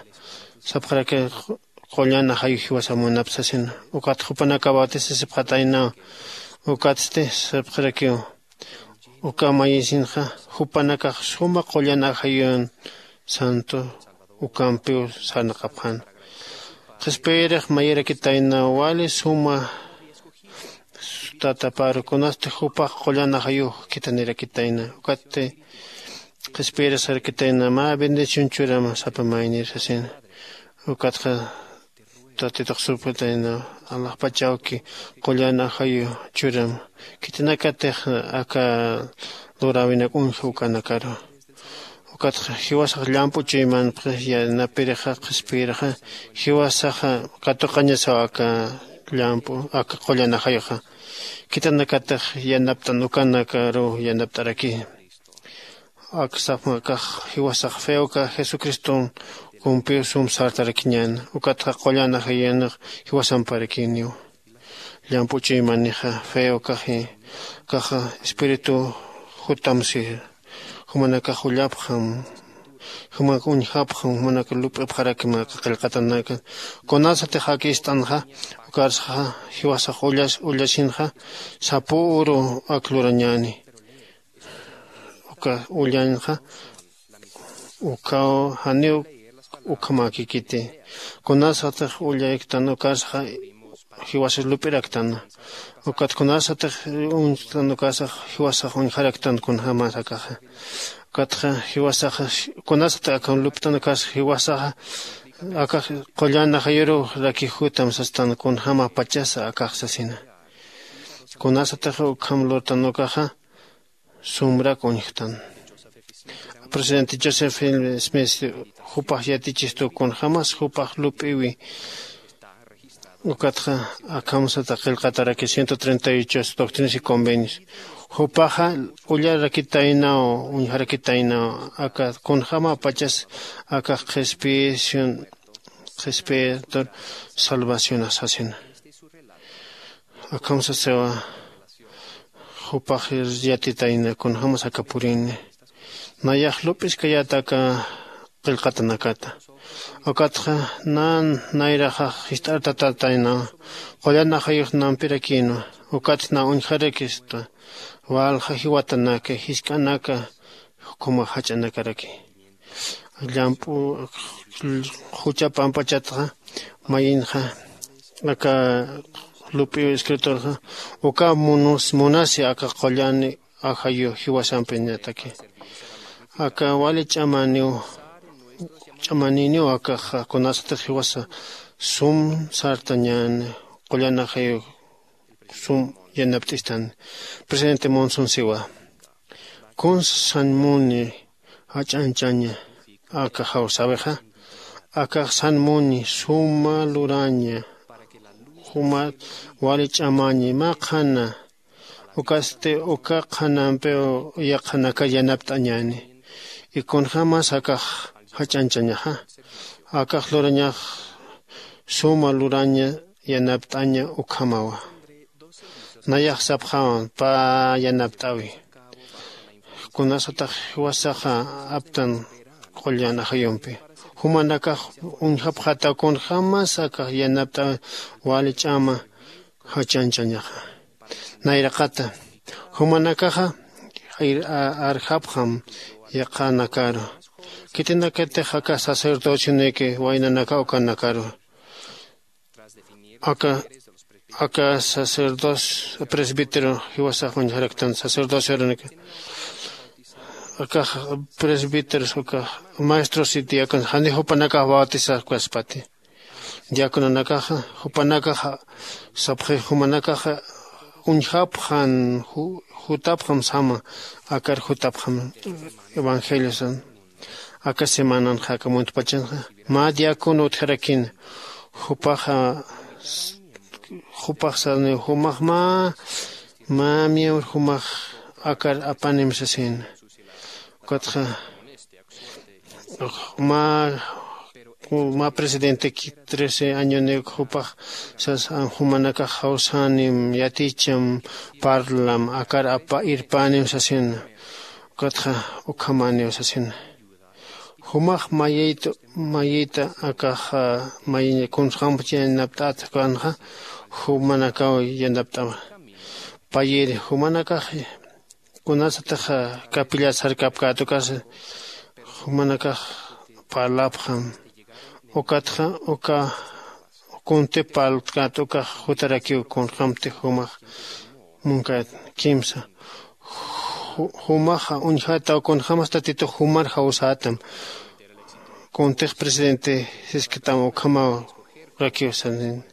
sapxaraki qullan ajayu jiwasa munapsasina. Ukat jupanakax bautisasipxataynaw. Ukatsti sapxarakiw uka mayisinxa jupanakax suma qullan ajayun santo ukampiw sarnaqapxan. Qhispiyirix mayirakitaynaw wali suma tataparu kunasti jupax qullan ajayux khithanirakitayna. Ukatti qhispiyirix sarakitayna mä bendición churam sapa maynir sasina. Ukatxa tatitux supxatayna alaxpachawki qullan ajayu churam khithanakatix aka luräwinak uñja ukanakaru. Ukatxa jiwasax llamp'u chuymanpxi yanapirixa qhispiyirixa jiwasaxa katuqañasaw aka llamp'u aka qullan ajayuxa. Khithanakatix yanapt'an ukanakaruw yanapt'araki. Aksaxma akax jiwasax feoka jesucriston kumpiw sum sartarakiñäna ukatxa qullan ajayunix jiwasamparakiniw. Llamp'u chuymanixa feokaxi kaxa espíritu jutamsi jumanakax ullapxam jumak uñjapxam jumanaka lup'ipxarakima aka qillqatanaka. Kunasatix ak ist'anxa ukarsaxa jiwasax ullas ullasinxa sapüru ak lurañäni. Uka ullanxa ukaw janiw ukhamäkikiti. Kunasatix ullayktan ukarsaxa jiwasas lup'iraktana. Ukat kunasatix uñstan ukarsax jiwasax uñjaraktan kunjämas akaxa. Ukatxa jiwasaxa kunasatix akham lup'tan ukarsax jiwasaxa akax qullan ajayuruw rakix jutam sastan kunjämapachasa akax sasina. Kunasatix ukham lurtan ukaxa sumrak uñjtan. Presidente joseph smith jupax yatichistu kunjämas jupax lup'iwi. Ukatxa akhamsata qillqataraki ciento treinta y ocho doctrinas y convenios. Jupaxa ullarakitaynaw uñjarakitaynaw aka kunjämapachas akax qhispiyisun qhispiyitur salvacionas sasina. Akham sasiwa jupax yatitayna kunjämas aka purini. Nayax lup'iskayäta aka qillqatanakata. Ukatxa nan nayraxax jist'artatatayna qullan ajayux nampirakïnwa. Ukatxa na uñjarakista walja jiwatanaka jisk'anaka jukuma jach'anakaraki. Llamp'u jucha pampachatxa mayinxa aka lup'iw escritorxa uka munus munasi aka qullani ajayu jiwasampiñataki. Aka wali ch'amaniw ch'amaniniw akaxa kunasatix jiwasa sum sartañäni qullan ajayu sum yanapt'istan. Presidente monson siwa kunsa san muni jach'anchaña aka jawsäwixa akax san muni suma luraña jumat wali ch'amañi mä qhana. Ukasti uka qhanampiw yaqhanakar yanapt'añäni. Ikunjämas akax jach'anchañaxa akax lurañax suma luraña yanapt'aña ukhamawa. Nayax sapxawan pä yanapt'äwi. Kunasatax jiwasaxa aptan qullan ajayumpi jumanakax uñjapxataw kunjämas akax yanapt'äwi wali ch'ama jachanchañaxa. Nayraqata jumanakaxa arjapxam yaqhanakaru. Khitinakatix aka sacerdocioniki waynanaka ukanakaru aka aka sacerdocio presbítero jiwasax uñjaraktan sacerdocio arunika. Akax presbíteros ukax maestros y diáconos jani jupanakax bautisakukaspati. Diacononakaxa jupanakaxa sapxi jumanakaxa uñjapxan jutapxam sama akar jutapxam evangeliosan. Aka semananxa aka muntpachanxa mä diácono utjarakina jupaxa Jupax sarniw jumax mä mä miembro jumax akar apanim sasina. Ukatxa mä mä presidenteki trece añoniw jupax sas jumanakax jawsänim yaticham parlam akar apa irpänim sasina. Ukatxa ukhamäniw sasina. Jumax mayïta mayïta akax mayiñ kunxamp yanapt'at kanxa jumanakaw yanapt'awa. Payïri jumanakax kunasatix capillat sarkapkät ukasa jumanakax parlapxam. Ukatxa uka kunti parltkät ukax jutarakiw kunxamti jumax munkät kimsa jumaxa uñjataw kunxamas tatitux jumar jawsätam. Kuntix presidente sisktam ukhamaw rakiw sanin.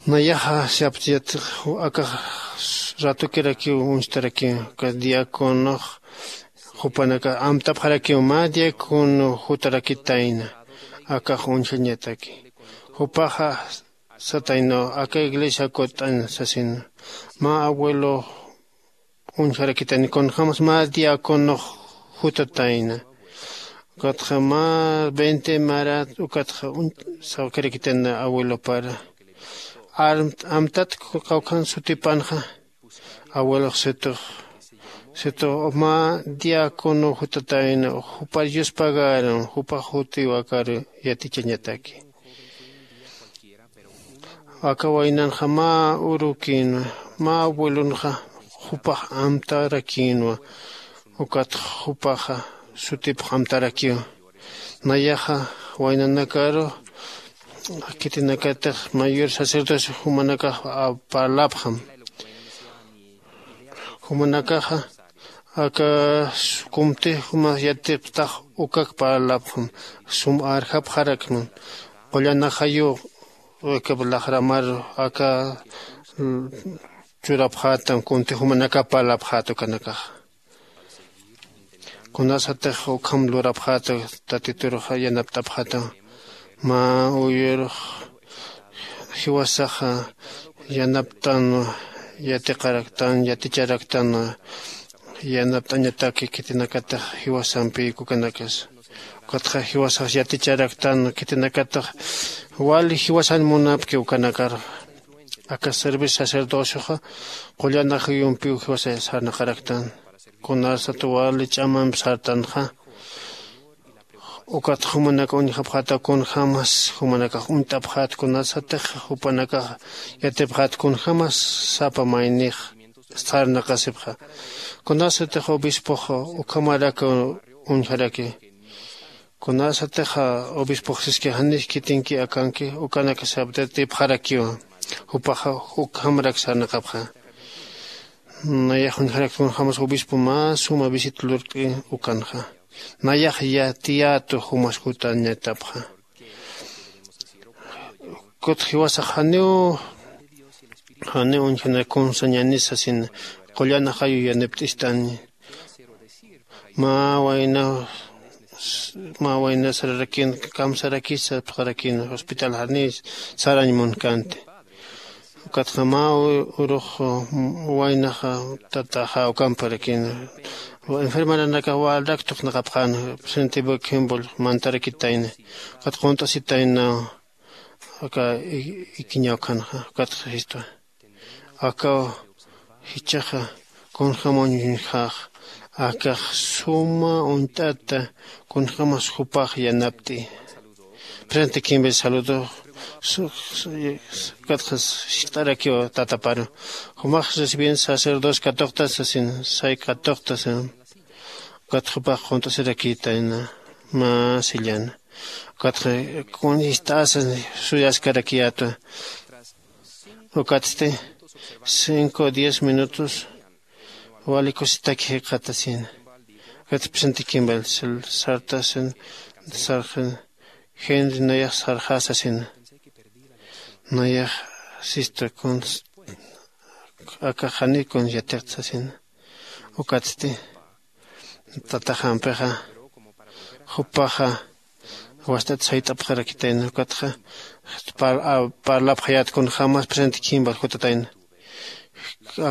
Nayaxa siaptiyat akax ratukirakiw uñstarakiw uka diaconox jupanakax amtapxarakiw mä diacono jutarakitayna akax uñjañataki. Jupaxa sataynaw aka iglesia kut'añ sasin mä abuelo uñjarakitayna kunjämas mä diaconox jutatayna. Ukatxa mä veinte marat ukatxa uñjarakitayna abuelopara. Amtat kawkhan sutipanxa abuelox situx situx mä diacono jutatayna jupar yuspagaran jupax jutiw akar yatichañataki. Aka waynanxa mä urukïnwa mä abuelonxa jupax amtarakïnwa. Ukat jupaxa sutipx amtarakiw. Nayaxa waynanakaru khitinakatix mayor sacerdocio jumanakax parlapxam. Jumanakaxa aka kumtix jumax yatipxtax ukak parlapxam. Sum arjapxarakman qullanaxayu aka laxramar aka churapxätam kunti jumanaka parlapxäta ukanakaxa. Kunasatix ukham lurapxäta tatiturux yanapt'apxäta mä uyurux jiwasaxa yanapt'anwa yatiqaraktan yaticharaktanwa yanapt'añataki khitinakatix jiwasampïk ukanakas. Ukatxa jiwasax yaticharaktanwa khitinakatix wali jiwasan munapki ukanakar aka servicio sacerdocioxa qullana juyumpiw jiwasa sarnaqaraktan. Kunasat wali ch'amamp sartanxa ukat jumanak uñjapxäta kunjämas jumanakax uñt'apxät kunasatix jupanakax yatipxät kunjämas sapa maynix sarnaqasipxa. Kunasatix obispox ukhamarak uñjaraki kunasatix obispox siski janix khitinki akanki ukanak saptatipxarakiwa. Jupaxa ukhamarak sarnaqapxa. Nayax uñjarak kunjämas obispo mä suma visita lurt'i ukanxa. Nayax yatiyätu jumas jutañatapxa. Kut jiwasax janiw janiw uñjana kunsañani sasin qullana jayu yanipt'istani. Mä wayna mä wayna sararakin kamsarakis sapxarakin hospital janiw sarañ munkanti. Ukatxa mä urux waynaxa tataxa ukamparakin enfermeranakax walrak tuqnaqapxän. Presente bukhimbul mantarakitayna ukat qunt'asitayna aka ikiñaw khanxa. Ukatxa jistwa akaw jichhaxa kunjäm uñjax akax suma uñt'ata kunjämas jupax yanapt'i. Presente kimbil saludo. Ukatxa sikt'arakiw tataparu jumax recibien sacerdocio katuqta sasin say katuqta sasin. Ukat jupax qunt'asirakïtayna mä sillana. Ukatxa kun ist'asa suyaskarakiyätwa. Ukatsti cinco diez minutos wali kusitaki jikxatasina. Ukat presente kimbal sartasin sarxin gente nayax sarxasasina. Nayax sista kun akax janiw kun yatiqtasina. Ukatsti tataxampixa jupaxa wast'at sayt'apxarakitayna ukatxa parlapxayät kunjämas presente khimpa jutatayna.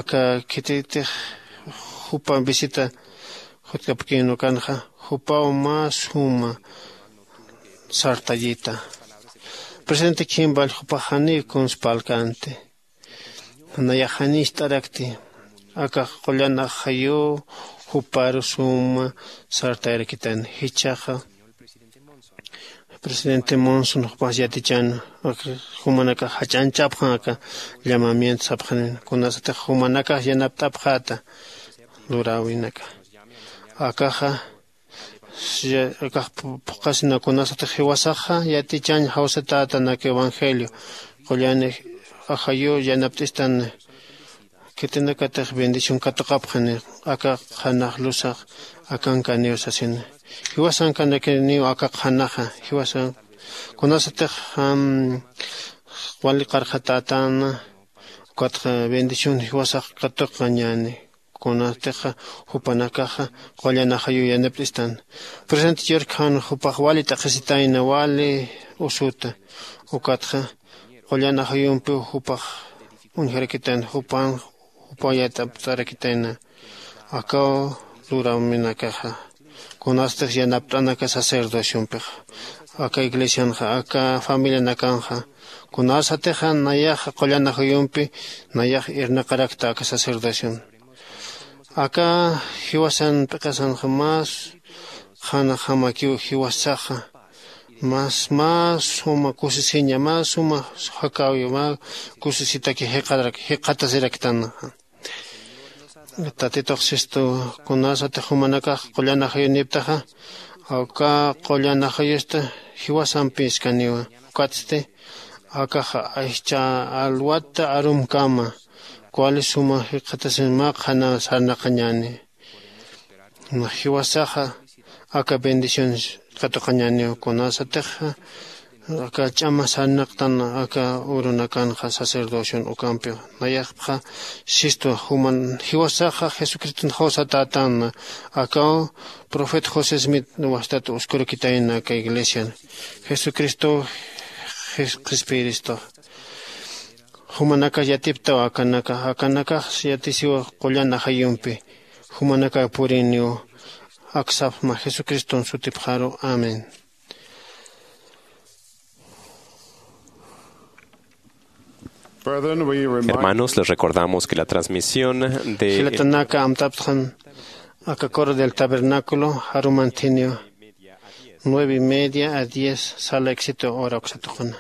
Aka khititix jupa visita jutkapkïn ukanxa jupaw mä suma sartayita. Presidente khimpall jupax janiw kuns parlkänti. Nayax janicht'arakti. Akax qullan ajayuw juparu suma sartayarakitan jichhaxa. Presidente monson jupax yatichan jumanakax jach'anchapxan aka llamamiento sapxanin kunasatix jumanakax yanapt'apxäta luräwinaka. Akaxa akax phuqhasina kunasatix jiwasaxa yatichañ jawsatätan aka evangelio qullan ajayuw yanapt'istan. Khitinakatix bendición katuqapxani aka qhanax lusax akankaniw sasina. Jiwasankanakiniw aka qhanaxa jiwasan kunasatix wali qarqhatätäna. Ukatxa bendición jiwasax katuqañäni kunatix jupanakaxa qullan ajayuw yanapt'istan. Presente church jan jupax wali t'aqhisitayna wali usuta ukatxa qullan ajayumpiw jupax uñjarakitan jupan jupaw yat'apt'arakitayna. Akaw luraminakaxa kunastix yanapt'anaka sacerdociompix aka iglesianxa aka familianakanxa kunasatixa nayaxa qullan ajayumpi nayax irnaqarakta aka sacerdocion. Aka jiwasan p'iqasanxa mas qhanajamakiw jiwasaxa mas mas suma kusisiña mas suma jakäwiw mä kusisitaki jikxatasiraktanxa. Tatitux sistu kunasatix jumanakax qullan ajayuniptaxa awka qullan ajayusta jiwasampiskaniwa. Ukatsti akaxa aychha alwata arumkama kuali suma jikxatasin mä qhana sarnaqañäni. Jiwasaxa aka bendiciones katuqañäniw kunasatixa aka ch'ama sarnaqtan aka urunakanxa sacerdocion ukampiw. Nayaxpxa sistu juman jiwasaxa jesucriston jawsatätänna akaw profeta josé smith wastat uskurakitayna aka iglesian jesucristow qhispiyiristaw. Jumanakax yatiptaw akanakax akanakax yatisiw qullan ajayumpi jumanakax puriniw aksapxma jesucriston sutipxaru. Amén. Hermanos, les recordamos que la transmisión de jilatanaka amtaptxan aka coro del tabernáculo jarumantiniw nueve y media a diez sala éxito hora uksatuquna.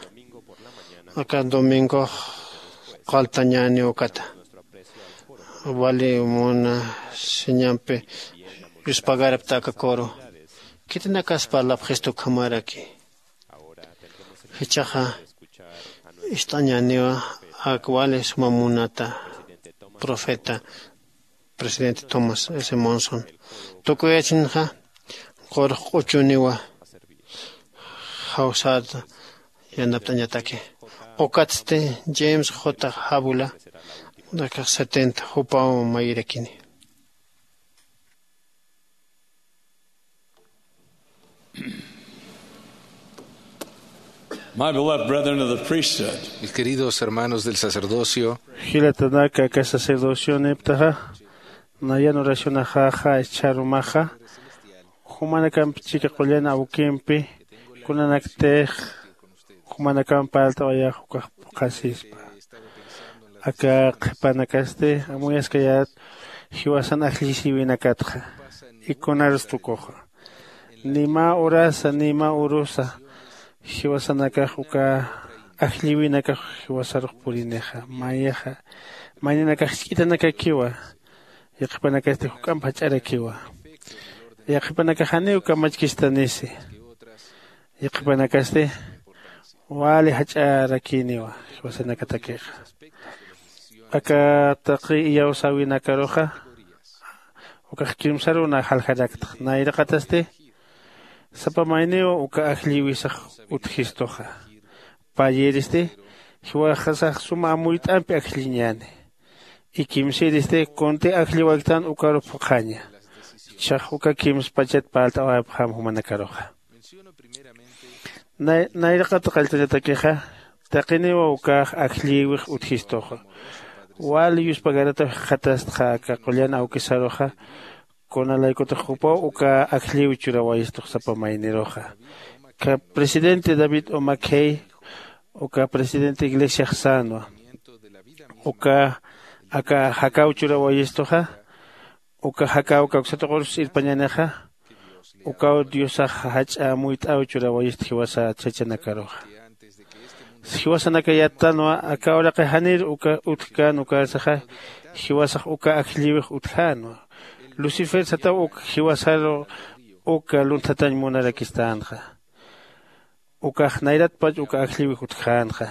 Aka domingox qaltañäniw ukata wali muna siñampi yuspagarapta aka coro. Khitinakas parlapxistu ukhamaraki. Jichhaxa ist'añäniwa ak wali suma munata profeta presidente tomás s monson tukuyachinxa qurux q'uchuniwa jawsäta yanapt'añataki. Ukatsti james j jabula akax setenta jupaw mayirakini. My beloved brethren of the priesthood. Mis queridos hermanos del sacerdocio. Jilatanaka aka sacerdocioniptaxa nayan oracionaxaxa ischharumaxa jumanakampi chika qullan awkimpi kunanaktix jumanakamp parlt'awayax ukax phuqhasispa. Aka qhipanakasti amuyaskayät jiwasan ajllisiwinakatxa. Ikunarus tukuxa ni mä urasa ni mä urusa jiwasanakax uka ajlliwinakax jiwasarux purinixa mayaxa mayninakax jisk'itanakakiwa. Yaqhipanakasti juk'amp jach'arakiwa. Yaqhipanakax janiw kamachkistanisi. Yaqhipanakasti wali jach'arakiniwa jiwasanakatakixa. Aka taqi iyawsäwinakaruxa ukax kimsaruw na jaljaraktxa nayraqatasti sapa mayniw uka ajlliwisax utjistuxa. Payïristi jiwasax suma amuyt'ampi ajlliñäni. Ikimsïristi kunti ajlliwaktan ukaru phuqhaña. Jichhax uka kimspachat parlt'awayapxam jumanakaruxa. Nayraqat qalltañatakixa taqiniwa ukax ajllïwix utjistuxa. Wali yuspagarataw jikxatastxa aka qullan awkisaruxa. Kunalaykutix jupaw uka ajllïw churawayistux sapa mayniruxa. Presidente david omakhey uka presidente iglesiax sänwa. Uka aka jakaw churawayistuxa. Uka jakaw kawksatuqurus irpañanixa. Ukaw diosax jach'a amuyt'aw churawayist jiwasa chachanakaruxa. Jiwasanaka yattanwa aka uraqi janir uka utjkän ukarsaxa. Jiwasax uka ajllïwix utjänwa. Lucifer sataw uk jiwasaru uka lunthatañ munarakistänxa. Ukax nayratpach uka ajllïwix utjänxa.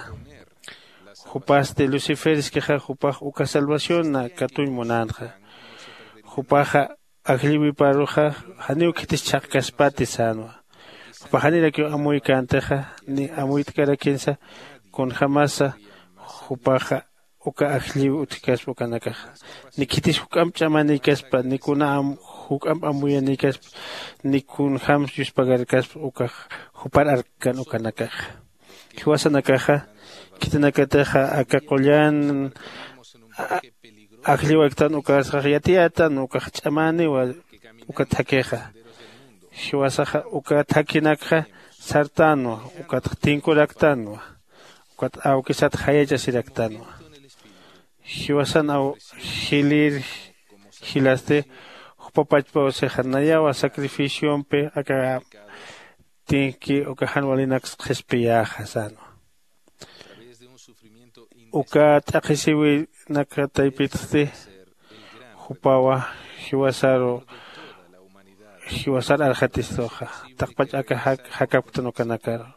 Jupasti luciferskixa jupax uka salvacionna katuñ munänxa. Jupaxa ajllïwiparuxa janiw khitis chhaqkaspati sänwa. Jupax janirakiw amuykäntixa ni amuyt'karakinsa. Kunjämasa jupaxa uka ajllïw utjkaspa ukanakaxa ni khitis juk'amp ch'amanïkaspa ni kuna juk'amp amuyanïkaspa ni kunjämsa yuspagarkaspa ukax jupar arkkan ukanakaxa. Jiwasanakaxa khitinakatixa aka qullan ajlliwaktan ukarsax yatiyätan ukax ch'amäniwa. Uka thakhixa jiwasaxa uka thakhinakxa sartänwa. Ukatxa tinkuraktanwa. Ukat awkisat jayachasiraktanwa. Jiwasan aw jilïr jilasti jupa pachpaw sixa nayawa sacrificiompi aka tinki uka jan walinaks qhispiyäxa sänwa. Uka t'aqhisiwinaka taypitsti jupawa jiwasaru jiwasar arxatistuxa. Taqpach aka jakapktan ukanakaru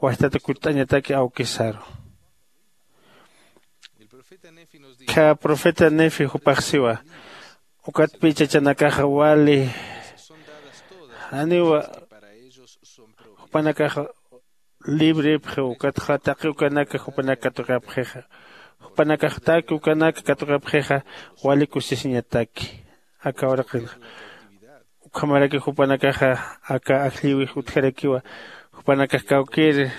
wajtata kutt'añataki awkisaru. Kha profeta nefi jupax siwa. Ukatpï chachanakaxa wali janiwa jupanakaxa librepxi ukatxa taqi ukanaka jupanak katuqapxixa. Jupanakax taqi ukanaka katuqapxixa wali kusisiñataki. Aka uraqinxa ukhamaraki jupanakaxa aka ajllïwix utjarakiwa. Jupanakax kawkïr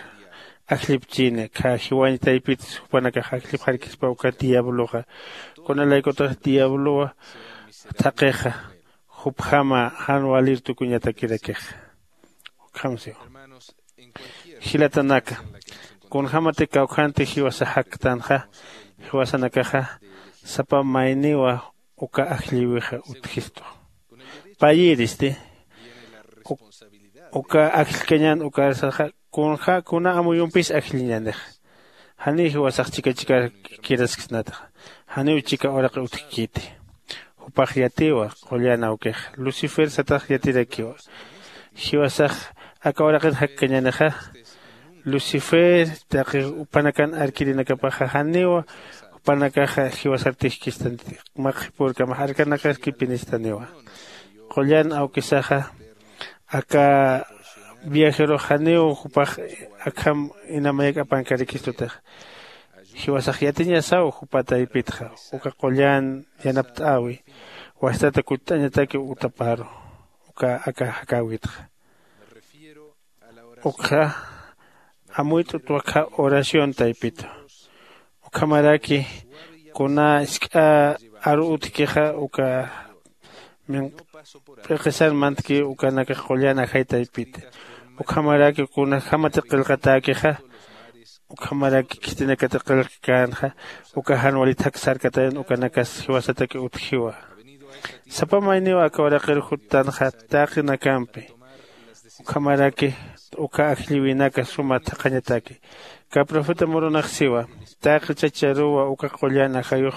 ajllipchini kha jiwañ taypitis jupanakax ajllipxarkispa uka diabloxa. Kunalaykutax diablowa thaqixa jupjama jan walir tukuñatakirakixa. Ukham siwa jilatanaka kunjämati kawkhanti jiwasa jaktanxa jiwasanakaxa sapa mayniwa uka ajllïwixa utjistu. Payïristi uka ajllkañän ukarsaxa kunja kuna amuyumpis ajlliñänixa. Janiw jiwasax chika chikar kirasksnataxa. Janiw chika uraqi utjkiti. Jupax yatiwa qullan awkixa lucifer satax yatirakiwa. Jiwasax aka uraqir jakkañänixa lucifer taqi jupanakan arkirinakapaxa janiwa jupanakaxa jiwasar tijkistanti. Mä qhipürkamax arkanakaskipinistaniwa. Qullan awkisaxa aka viajerux janiw jupax akham inamayak'apankarikistutix. Jiwasax yatiñasaw jupa taypitxa uka qullan yanapt'äwi wajtata kutt'añataki utaparu uka aka jakäwitxa. Ukxa amuyt'ut wakha oración taypitu. Ukhamaraki kuna isk'a aru utjkixa uka minq'p'iqisar mantki ukanakax qullan ajay taypiti. Ukhamaraki kunjämati qillqatäkixa ukhamaraki khitinakati qillqkänxa uka jan walit jaksarkatayan ukanakas jiwasataki utjiwa. Sapa mayniw aka uraqir juttanxa taqinakampi. Ukhamaraki uka ajllïwinaka suma thaqhañataki. Kä profeta murunax siwa taqi chacharuwa uka qullan ajayux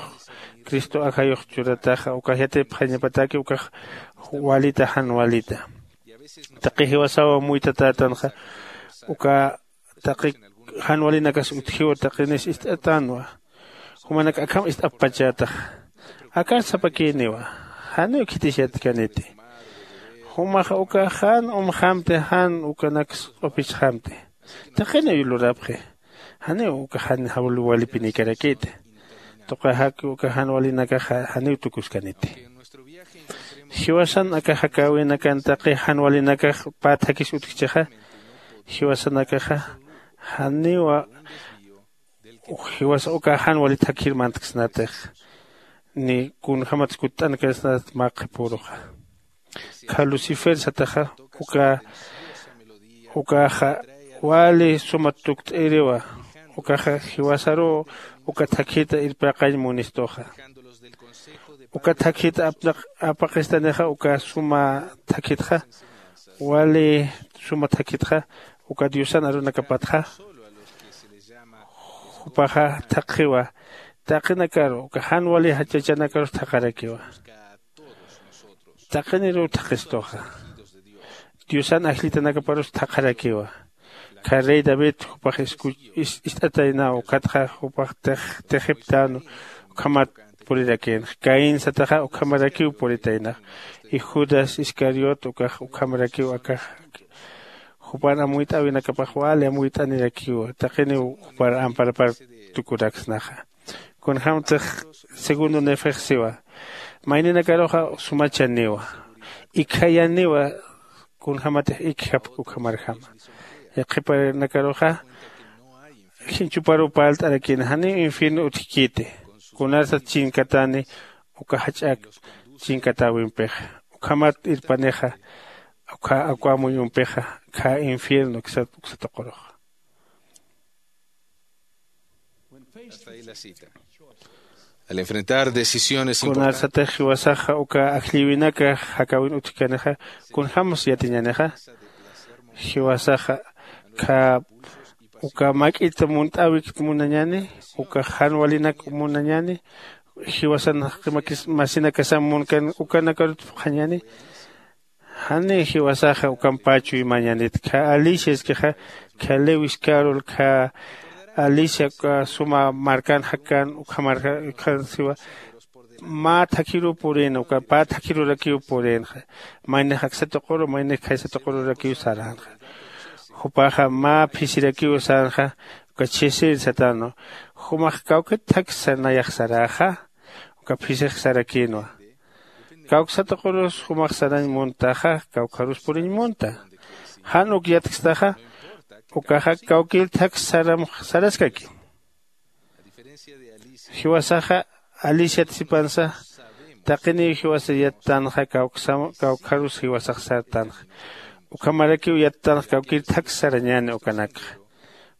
cristo ajayux churataxa ukax yatipxañapataki ukax walita jan walita. Taqi jiwasaw amuytatätanxa uka taqi jan walinakas utjiw taqinis ist'atänwa. Jumanak akham ist'apxpachätaxa akar sapakïniwa. Janiw khitis yatkaniti. Jumax ukax jan umxamti jan ukanaks q'upichxamti. Taqiniw lurapxi. Janiw ukax jan walipinïkarakiti. Tuqaxaki uka jan walinakaxa janiw tukuskaniti. Jiwasan aka jakäwinakan taqi jan walinakax pä thakis utjchixa Jiwasanakaxa janiwa jiwasa uka jan wali thakhir mantksnatix ni kunjämatsa kutt'ankarsnat mä qhipüruxa. Kha lucifer sataxa uka ukaxa wali suma tukt'iriwa. Ukaxa jiwasaruw uka thakhita irpaqañ munistuxa. Uka thakhita apaqistanixa uka suma thakhitxa wali suma thakhitxa uka diosan arunakapatxa jupaxa thaqhiwa. Taqinakaru uka jan wali jachachanakarus thaqharakiwa. Taqiniruw thaqistuxa diosan ajllitanakaparus thaqharakiwa. Kha rey david jupax ist'ataynaw ukatxa jupax tixiptänwa. Ukhamat purirakïnxa caín sataxa ukhamarakiw puritaynax. Y judas iscariot ukax ukhamarakiw akax jupan amuyt'äwinakapax wali amuyt'anirakiwa taqiniw jupar amparapar tukuraksnaxa. Kunjämtix segundo nefex siwa mayninakaruxa sumachaniwa. Ikjayaniwa kunjämatix ikjapk ukhamarjama. Yaqhipanakaruxa jichhuparuw parlt'arakïna janiw infierno utjkiti. Kunarsat chinkatani uka jach'ak chinkatäwimpixa ukhamat irpanixa ukkha akwämuyumpixa khä infierno uksa tuqurux. Al enfrentar decisiones importantes, kunarsatix jiwasaxa uka ajllïwinaka jakäwin utjkanixa kunjämsa yatiñänixa. Jiwasaxa khä uka mak'it munt'äwikit munañäni uka jan walinak munañäni jiwasan jaqi masinakasam munkan ukanakarut phuqhañäni. Janiw jiwasaxa ukampach chuymañänit khä alicia iskixa khä lewis carol khä alicia uka suma markan jakkän ukhamarkan siwa mä thakhiruw purïna uka pä thakhirurakiw purïnxa. Maynix aksa tuquru maynix khaysa tuqururakiw saränxa. Jupaxa mä phisirakiw sänxa uka chhisir satänwa. Jumax kawkit thaksa nayax saräxa uka phisix sarakïnwa. Kawksa tuqurus jumax sarañ muntaxa kawkharus puriñ munta. Jan uk yatkstaxa ukaxa kawkïr thak saram saraskaki. Jiwasaxa aliciat sipansa taqiniw jiwasa yattänxa kawkharus jiwasax sartänxa. Ukhamarakiw yattänxa kawkïr thak sarañäni ukanakxa.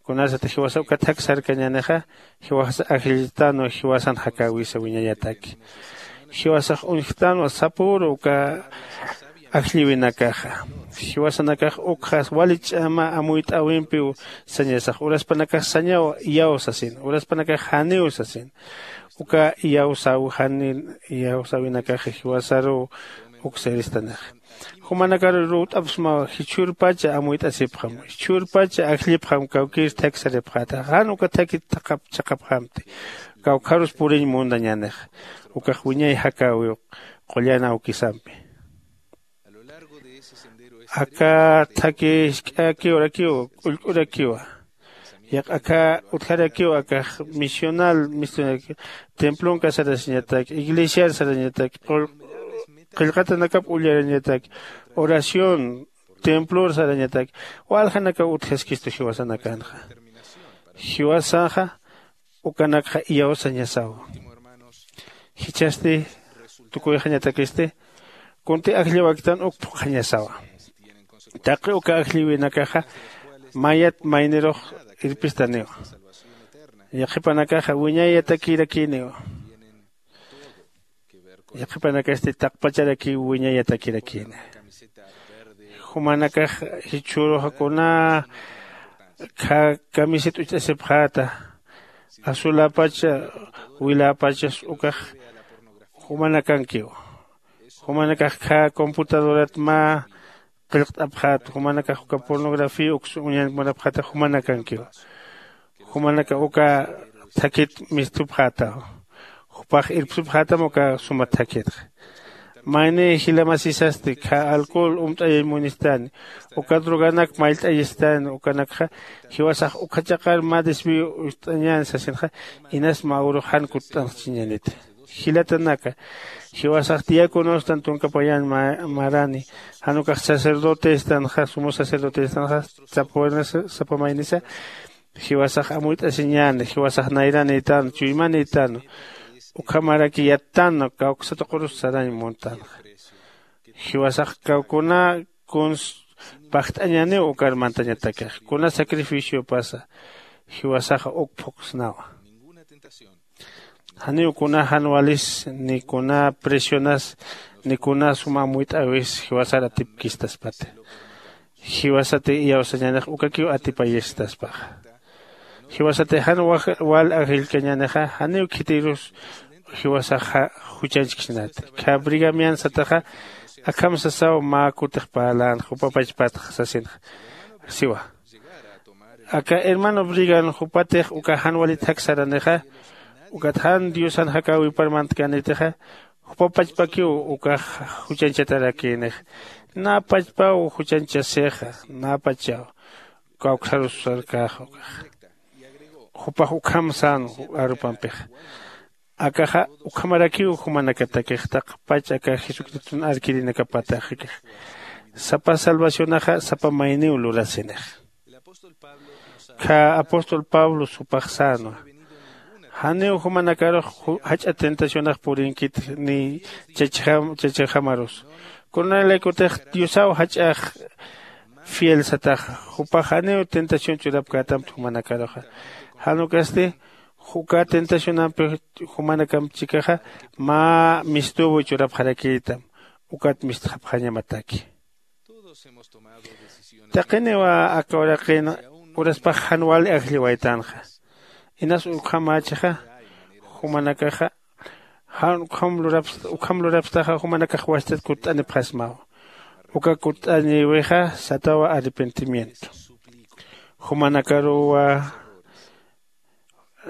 Kunasat jiwasa uka thak sarkañänixa jiwasa ajlltänwa jiwasan jakäwisa wiñayataki. Jiwasax uñjtänwa sapüru uka ajllïwinakaxa. Jiwasanakax ukxa wali ch'ama amuyt'äwimpiw sañasax uraspanakax sañaw iyaw sasin uraspanakax janiw sasin. Uka iyawsäw jani iyawsäwinakaxa jiwasaruw uksa iristanixa. Jumanakaru ruwt'apxsmaw jichhürpacha amuyt'asipxam jichhürpacha ajllipxam kawkïr thak saripxäta jan uka thakit chhaqhapxamti. Kawkharus puriñ muntañänixa ukax wiñay jakäwiw qullan awkisampi. Aka thaki jisk'äkiwarakiw k'ullk'urakiwa. Yaq'akhä utjarakiw akax misional misional templon kasarasiñatak iglesiar sarañatak qillqatanakap ullarañatak oración templor sarañatak waljanakaw utjaskistu jiwasanakanxa. Jiwasanxa ukanakxa iyawsañasawa. Jichhasti tukuyxañatakisti kunti ajllawaktan uk phuqhañasawa. Taqi uka ajllïwinakaxa mayat maynirux irpistaniwa. Yaqhipanakaxa wiñayatakïrakïniwa. Yaqhipanakasti taqpacharakiw wiñayatakirakïni. Jumanakax jichhüruxa kuna kamisit ucht'asipxäta azuläpacha wiläpachas ukax jumanakankiw. Jumanakax khä computadorat mä qillqt'apxäta jumanakax uka pornografía uks uñañ munapxäta jumanakankiw. Jumanakax uka thakit mistupxätaw. Jupax irpsupxätam uka suma thakitxa. Mayni jilamasisasti khä alcohol umt'ayañ munistani uka droganak mayllt'ayistani ukanakxa jiwasax ukhachaqar mä desvío ist'añäni sasinxa inas mä urux jan kutt'anxchiñäniti. Jilatanaka, jiwasax diáconostan tunka payan ma- marani, jan ukax sacerdotestanxa, sumo sacerdotestanxa, sapa waynisa sapa maynisa, jiwasax amuyt'asiñäni, jiwasax nayranïtanu, chuymanïtanu, ukhamaraki yattan kawksa tuqurus sarañ muntanxa. Jiwasax kawkuna kuns pajt'añäniw ukar mantañatakix, kuna sacrificiopasa jiwasaxa uk phuqsnawa. Janiw kuna jan walis, ni kuna presionas, ni kuna suma amuyt'äwis jiwasar atipkistaspati. Jiwasati iyawsañänix ukakiw atipayistaspaxa. Jiwasati jan wal ajillkañänixa janiw khitïrus jiwasaxa juchañchkchnati. Kha brigamian sataxa akham sasaw mä kutix parlänxa jupa pachpatxa sasinxa, siwa. Aka hermano brigan jupatix uka jan walit jaksaranixa, ukat jan diosan jakäwipar mantkänitixa, jupa pachpakiw ukax juchañchatarakïnix. Nä pachpaw juchañchasixa, nä pachaw kawksarus sarkäxa ukaxa. Jupax ukham sän arupampixa. Akaxa ukhamarakiw jumanakatakix taqpach aka jesucriston arkirinakapataxakix. Sapa salvacionaxa sapa mayniw lurasinix. Kha apóstol pablo supax sänwa. Janiw jumanakarux jach'a tentacionax purinkit ni chachjamarus, kunalaykutix diosaw jach'ax fiel sataxa. Jupax janiw tentación churapkätamti jumanakaruxa. Jan ukasti uka tentacionampi jumanakamp chikaxa mä mistuw churapxarakïtam. Ukat mistxapxañamataki. Taqiniwa aka uraqin uraspax jan wali ajlliwaytanxa. Inas ukhamächixa jumanakaxa jan ukham lurapstaxa jumanakax wastat kutt'anipxasmaw. Uka kutt'aniwixa satawa arrepentimiento. Jumanakaruwa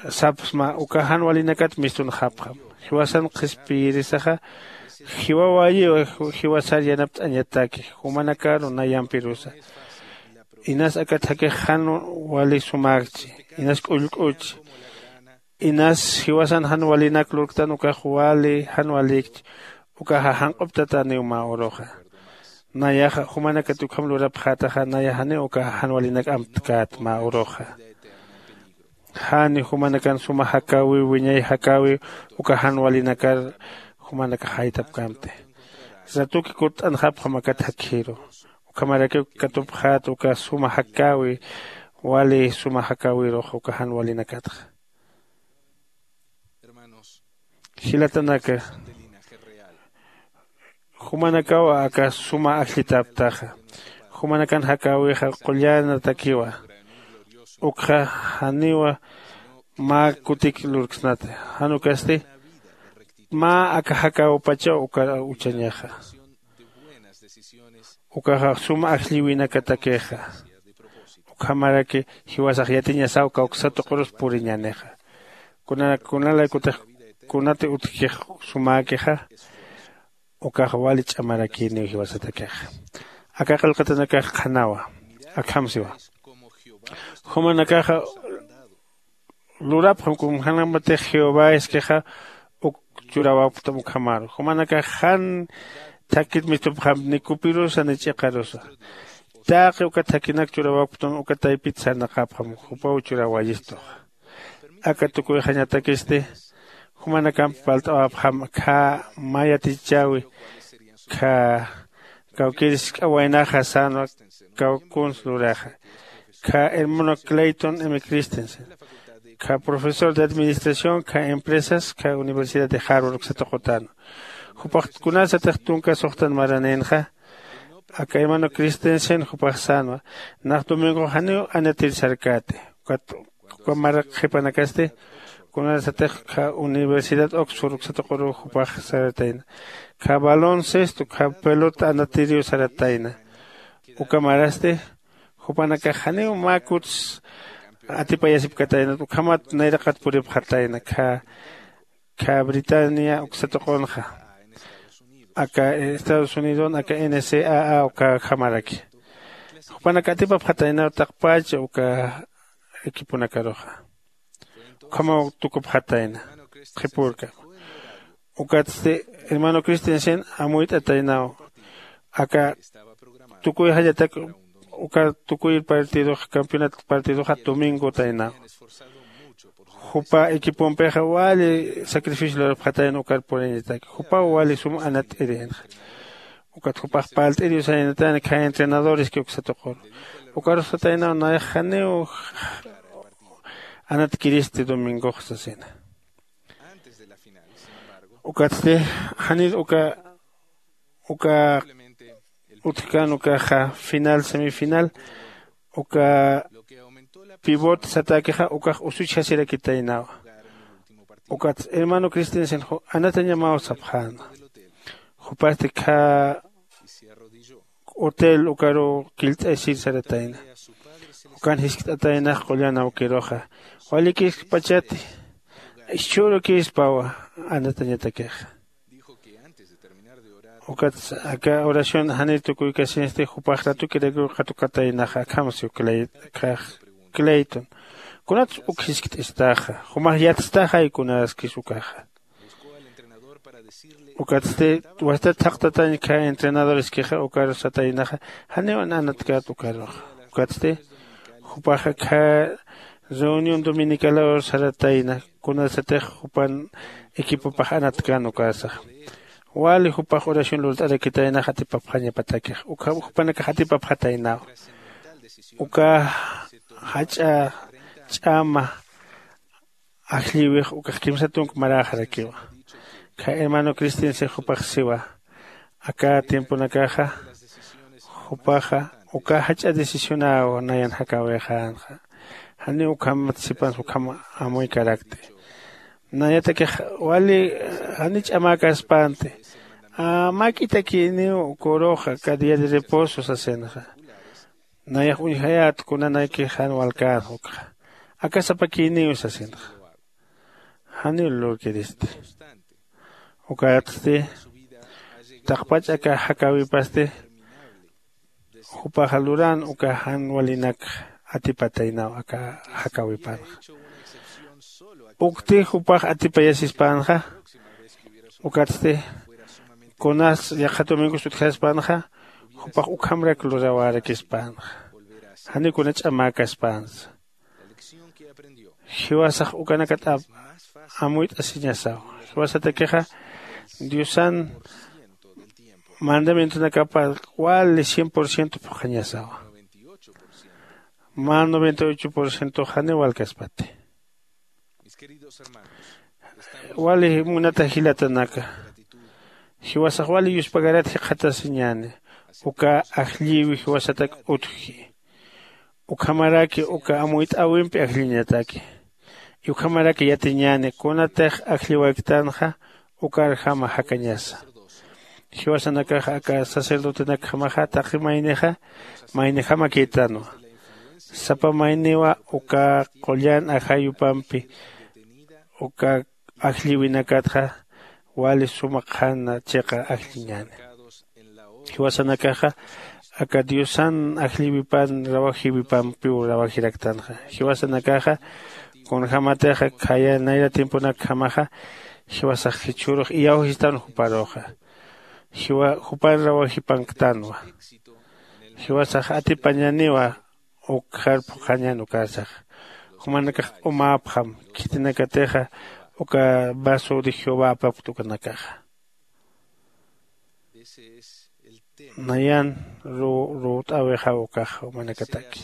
sapsma uka jan walinakat mistunxapxam. Jiwasan qhispiyirisaxa jiwawayiw jiwasar yanapt'añataki jumanakaru nayampirusa. Inas akat jakix jan wali sumäkchi, inas k'ullk'uchi, inas jiwasan jan walinak lurktan ukax wali jan walïkchi. Ukaxa janq'uptataniw mä uruxa. Nayaxa jumanakat ukham lurapxätaxa naya janiw ukaxa jan walinak amtkäta mä uruxa. Jani jumanakan suma jakäwiw wiñay jakäwiw uka jan walinakar jumanakax jaytapkämti. Ratuki kutt'anxapxam akat jakkhiru. Ukhamarakiw katupxät uka suma jakäwi wali suma jakäwirux uka jan walinakatxa. Jilatanaka, jumanakaw aka suma ajllitäptaxa. Jumanakan jakäwixa qullanatakiwa. Ukxa janiwa mä kutik lurksnati. Jan ukasti mä aka jakäwipachaw ukar uchañaxa. Ukaxa suma ajlliwinakatakixa. Ukhamaraki jiwasax yatiñasaw kawksa tuqurus puriñänixa. Kunalaykutix kunati utjkix sumäkixa. Ukax wali ch'amarakïniw jiwasatakixa. Aka qillqatanakax qhanawa. Akham siwa. Jumanakaxa lurapxam kunjämatix jehová iskixa uk churawapktam ukhamaru jumanakax jan thakit mistupxamp ni kupirusa ni ch'iqarusa. Taqi uka thakinak churawapktam uka taypit sarnaqapxam jupaw churawayistuxa. Aka tukuyxañatakisti jumanakamp palt'awapxam khä mä yatichäwi khä kawkir jisk'a waynaxa sänwa kawkuns luraxa. Khä hermano clayton m christensen khä profesor de administración khä empresas khä universidad de harvard uksa tuqutänwa. Jupax kunarsatix tunka suxtan maranïnxa. Aka hermano christensen jupax sänwa nax domingox janiw anatir sarkäti. Ukat uka maraq qhipanakasti kunarsatix khä universidad oxford uksa tuquru jupax saratayna. Khä baloncesto khä pelota anatiriw saratayna. Uka marasti jupanakax janiw mä kuts atipayasipkataynat ukhamat nayraqat puripxatayna khä khä britania uksa tuqunxa. Aka estados unidon aka ncaa ukhamaraki jupanak atipapxataynaw taqpach uka equiponakaruxa. Ukhamaw tukupxatayna qhipürkam. Ukatsti hermano Christensen amuyt'ataynaw. Aka tukuy jallatak uka tukuy partidox campeonat partidoxa domingotaynaw. Jupa equipompixa wali sacrificio lurapxatayna ukar puriñataki jupaw wali sum anat'irinxa. Ukat jupax palt'iriwsaynatayna kha entrenadores kiwksatuquru. Ukarusataynaw nayax janiw anatkiristi domingox sasina. Ukatsti janir uka uka utjkan ukaxa final semifinal uka pivot satakixa ukax usuchjasirakitaynawa. Ukatsti hermano cristiansen anatañamaw sapxäna. Jupasti kha hotel ukaru killt'asir saratayna. Ukan jiskt'ataynax qullan awkiruxa walikirkpachati ischhürukispawa anatañatakixa. Ukat aka oración janir tukuykasinsti jupax ratukirakir katukataynaxa akham siw clayton kunatsa uk jiskt'istaxa jumax yatstaxay kunaskis ukaxa. Ukatsti wastat thaqtatañ kha entrenadoreskixa ukaru sataynaxa janiw anatkat ukaruxa. Ukatsti jupaxa kha reunión dominicalawar saratayna kunasatix jupan equipopax anatkan ukasaxa. Wali jupax oración lurt'arakitaynax atipapxañapatakix uka jupanakax atipapxataynaw. Uka jach'a ch'ama ajllïwix ukax kimsa tunk maräxarakiwa. Kha hermano cristian six jupax siwa aka tiemponakaxa jupaxa uka jach'a decisionaw nayan jakäwixänxa. Janiw ukhamat sipansa ukham amuykarakti. Nayatakix wali jani ch'amäkaspänti. Mäk'itakïniw kuruxa aka día de reposo sasinxa. Nayax uñjayät kunanakix jan walkänxa ukxa aka sapakïniw sasinxa. Janiw lurkiristi. Ukatsti taqpach aka jakäwipasti jupaxa lurän uka jan walinakxa atipataynaw aka jakäwipanxa. Ukti jupax atipayasispänxa. Ukatsti kunas yaqha domingos utjaspänxa jupax ukhamrak lurawärakispänxa. Janiw kuna ch'amäkaspänsa. Jiwasax ukanakat amuyt'asiñasaw. Jiwasatakixa diosan mandamientonakapa wali cien por ciento phuqhañasawa. Mä noventa y ocho por ciento janiw walkaspati. Wali munata jilatanaka, jiwasax wali yuspagarat jikxatasiñäni uka ajllïwi jiwasatak utji. Ukhamaraki uka amuyt'äwimpi ajlliñataki. Ukhamaraki yatiñäni kunatix ajllïwayktänxa ukarjama jakañasa. Jiwasanakaxa aka sacerdotenakjamaxa taqi maynixa maynijamakïtanwa. Sapa mayniwa uka qullan ajayupampi uka ajllïwinakatxa wali suma qhana chiqa ajlliñäni. Jiwasanakaxa aka diosan ajllïwipan rawajïwipampiw rawajiraktanxa. Jiwasanakaxa kunjämatixa khaya nayra tiemponakjamaxa jiwasax jichhürux iyawjistan juparuxa. Jiwa jupan rawajipanktanwa. Jiwasax atipañäniwa ukxar phuqhañän ukarsax. Jumanakax q'umäpxam khitinakatixa uka vaso de jehová apapkta ukanakaxa. Nayan ruwt'äwixaw ukax jumanakataki.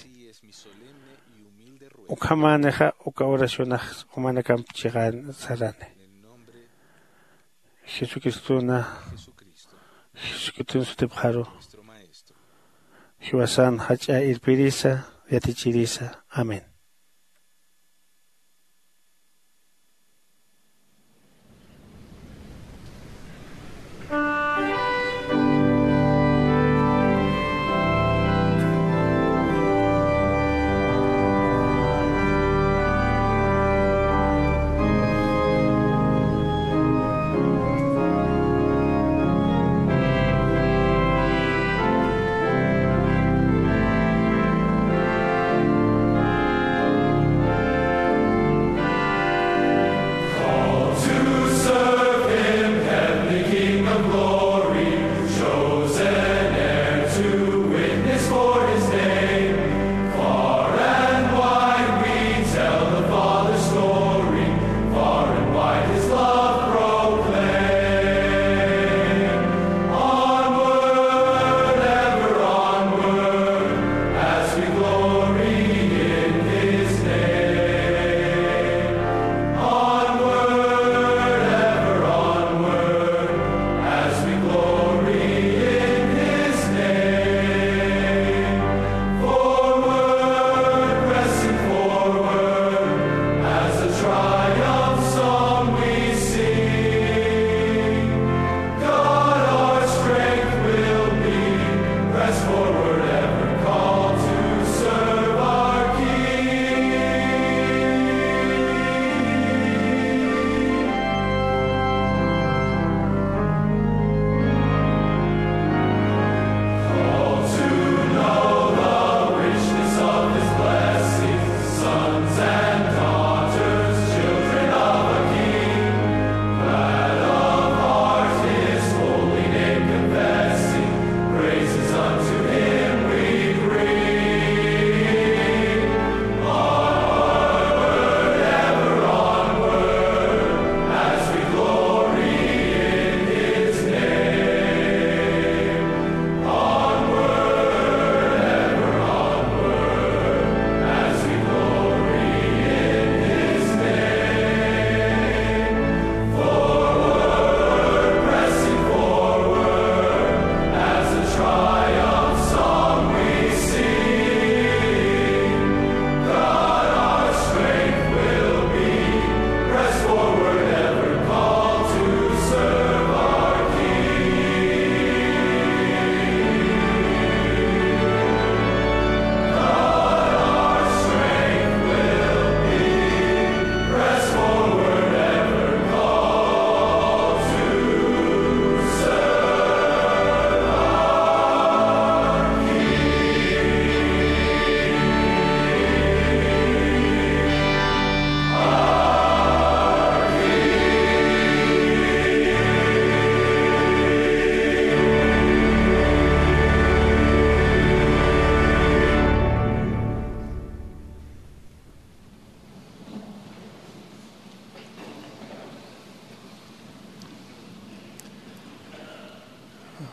Ukhamänixa uka oracionax jumanakamp chiqän sarani. Jesucristona jesucristona sutipxaru jiwasan jach'a irpirisa yatichirisa. Amén.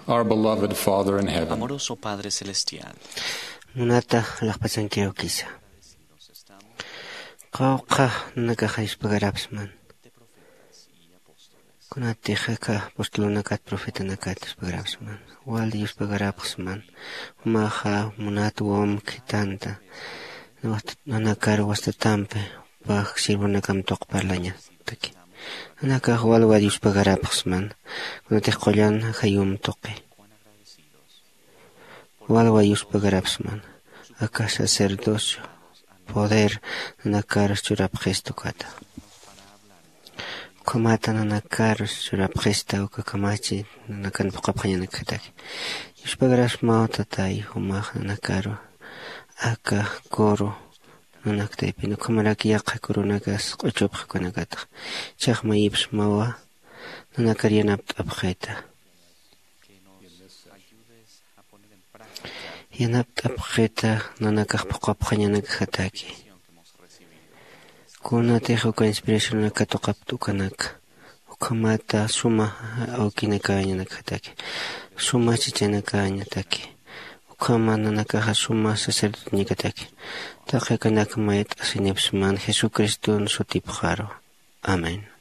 Our beloved Father in heaven, amoroso Padre Celestial, munata alaxpachankiwkisa. Qawqha nanakaxa yuspagarapsman. Kunatix aka apostolunakat profetanakat yuspagarapsman. Wali yuspagarapxsman. Jumaxa munat wawam khithanta nanakar wastatampi pax sirvunakam tuq parlañataki. Nanakax walwa yuspagarapxsman. Kunatix qullan jayum tuqi walwa yuspagarapxsman. Aka sacerdocio poder nanakarus churapxista ukata. Ukhamata nanakarus churapxista uka kamachi nanakan phuqhapxañanakjataki. Yuspagarapxsmaw tatay jumax nanakaru aka kuru nanaktaypin ukhamarak yaqha kurunakas q'uchupxi ukanakatax. Ichax mayipxsmawa nanakar yanapt'apxita. Yanapt'apxita nanakax phuqhapxañanakjataki. Kunatix uka inspiracionaka tuqapta ukanaka ukhamata suma awkinakäñanakjataki. Suma chichanakäñataki. Ukhama nanakaxa suma sacerdoteñakataki. Taqi akanak mayt'asinipxsman jesucriston sutipxaru. Amén.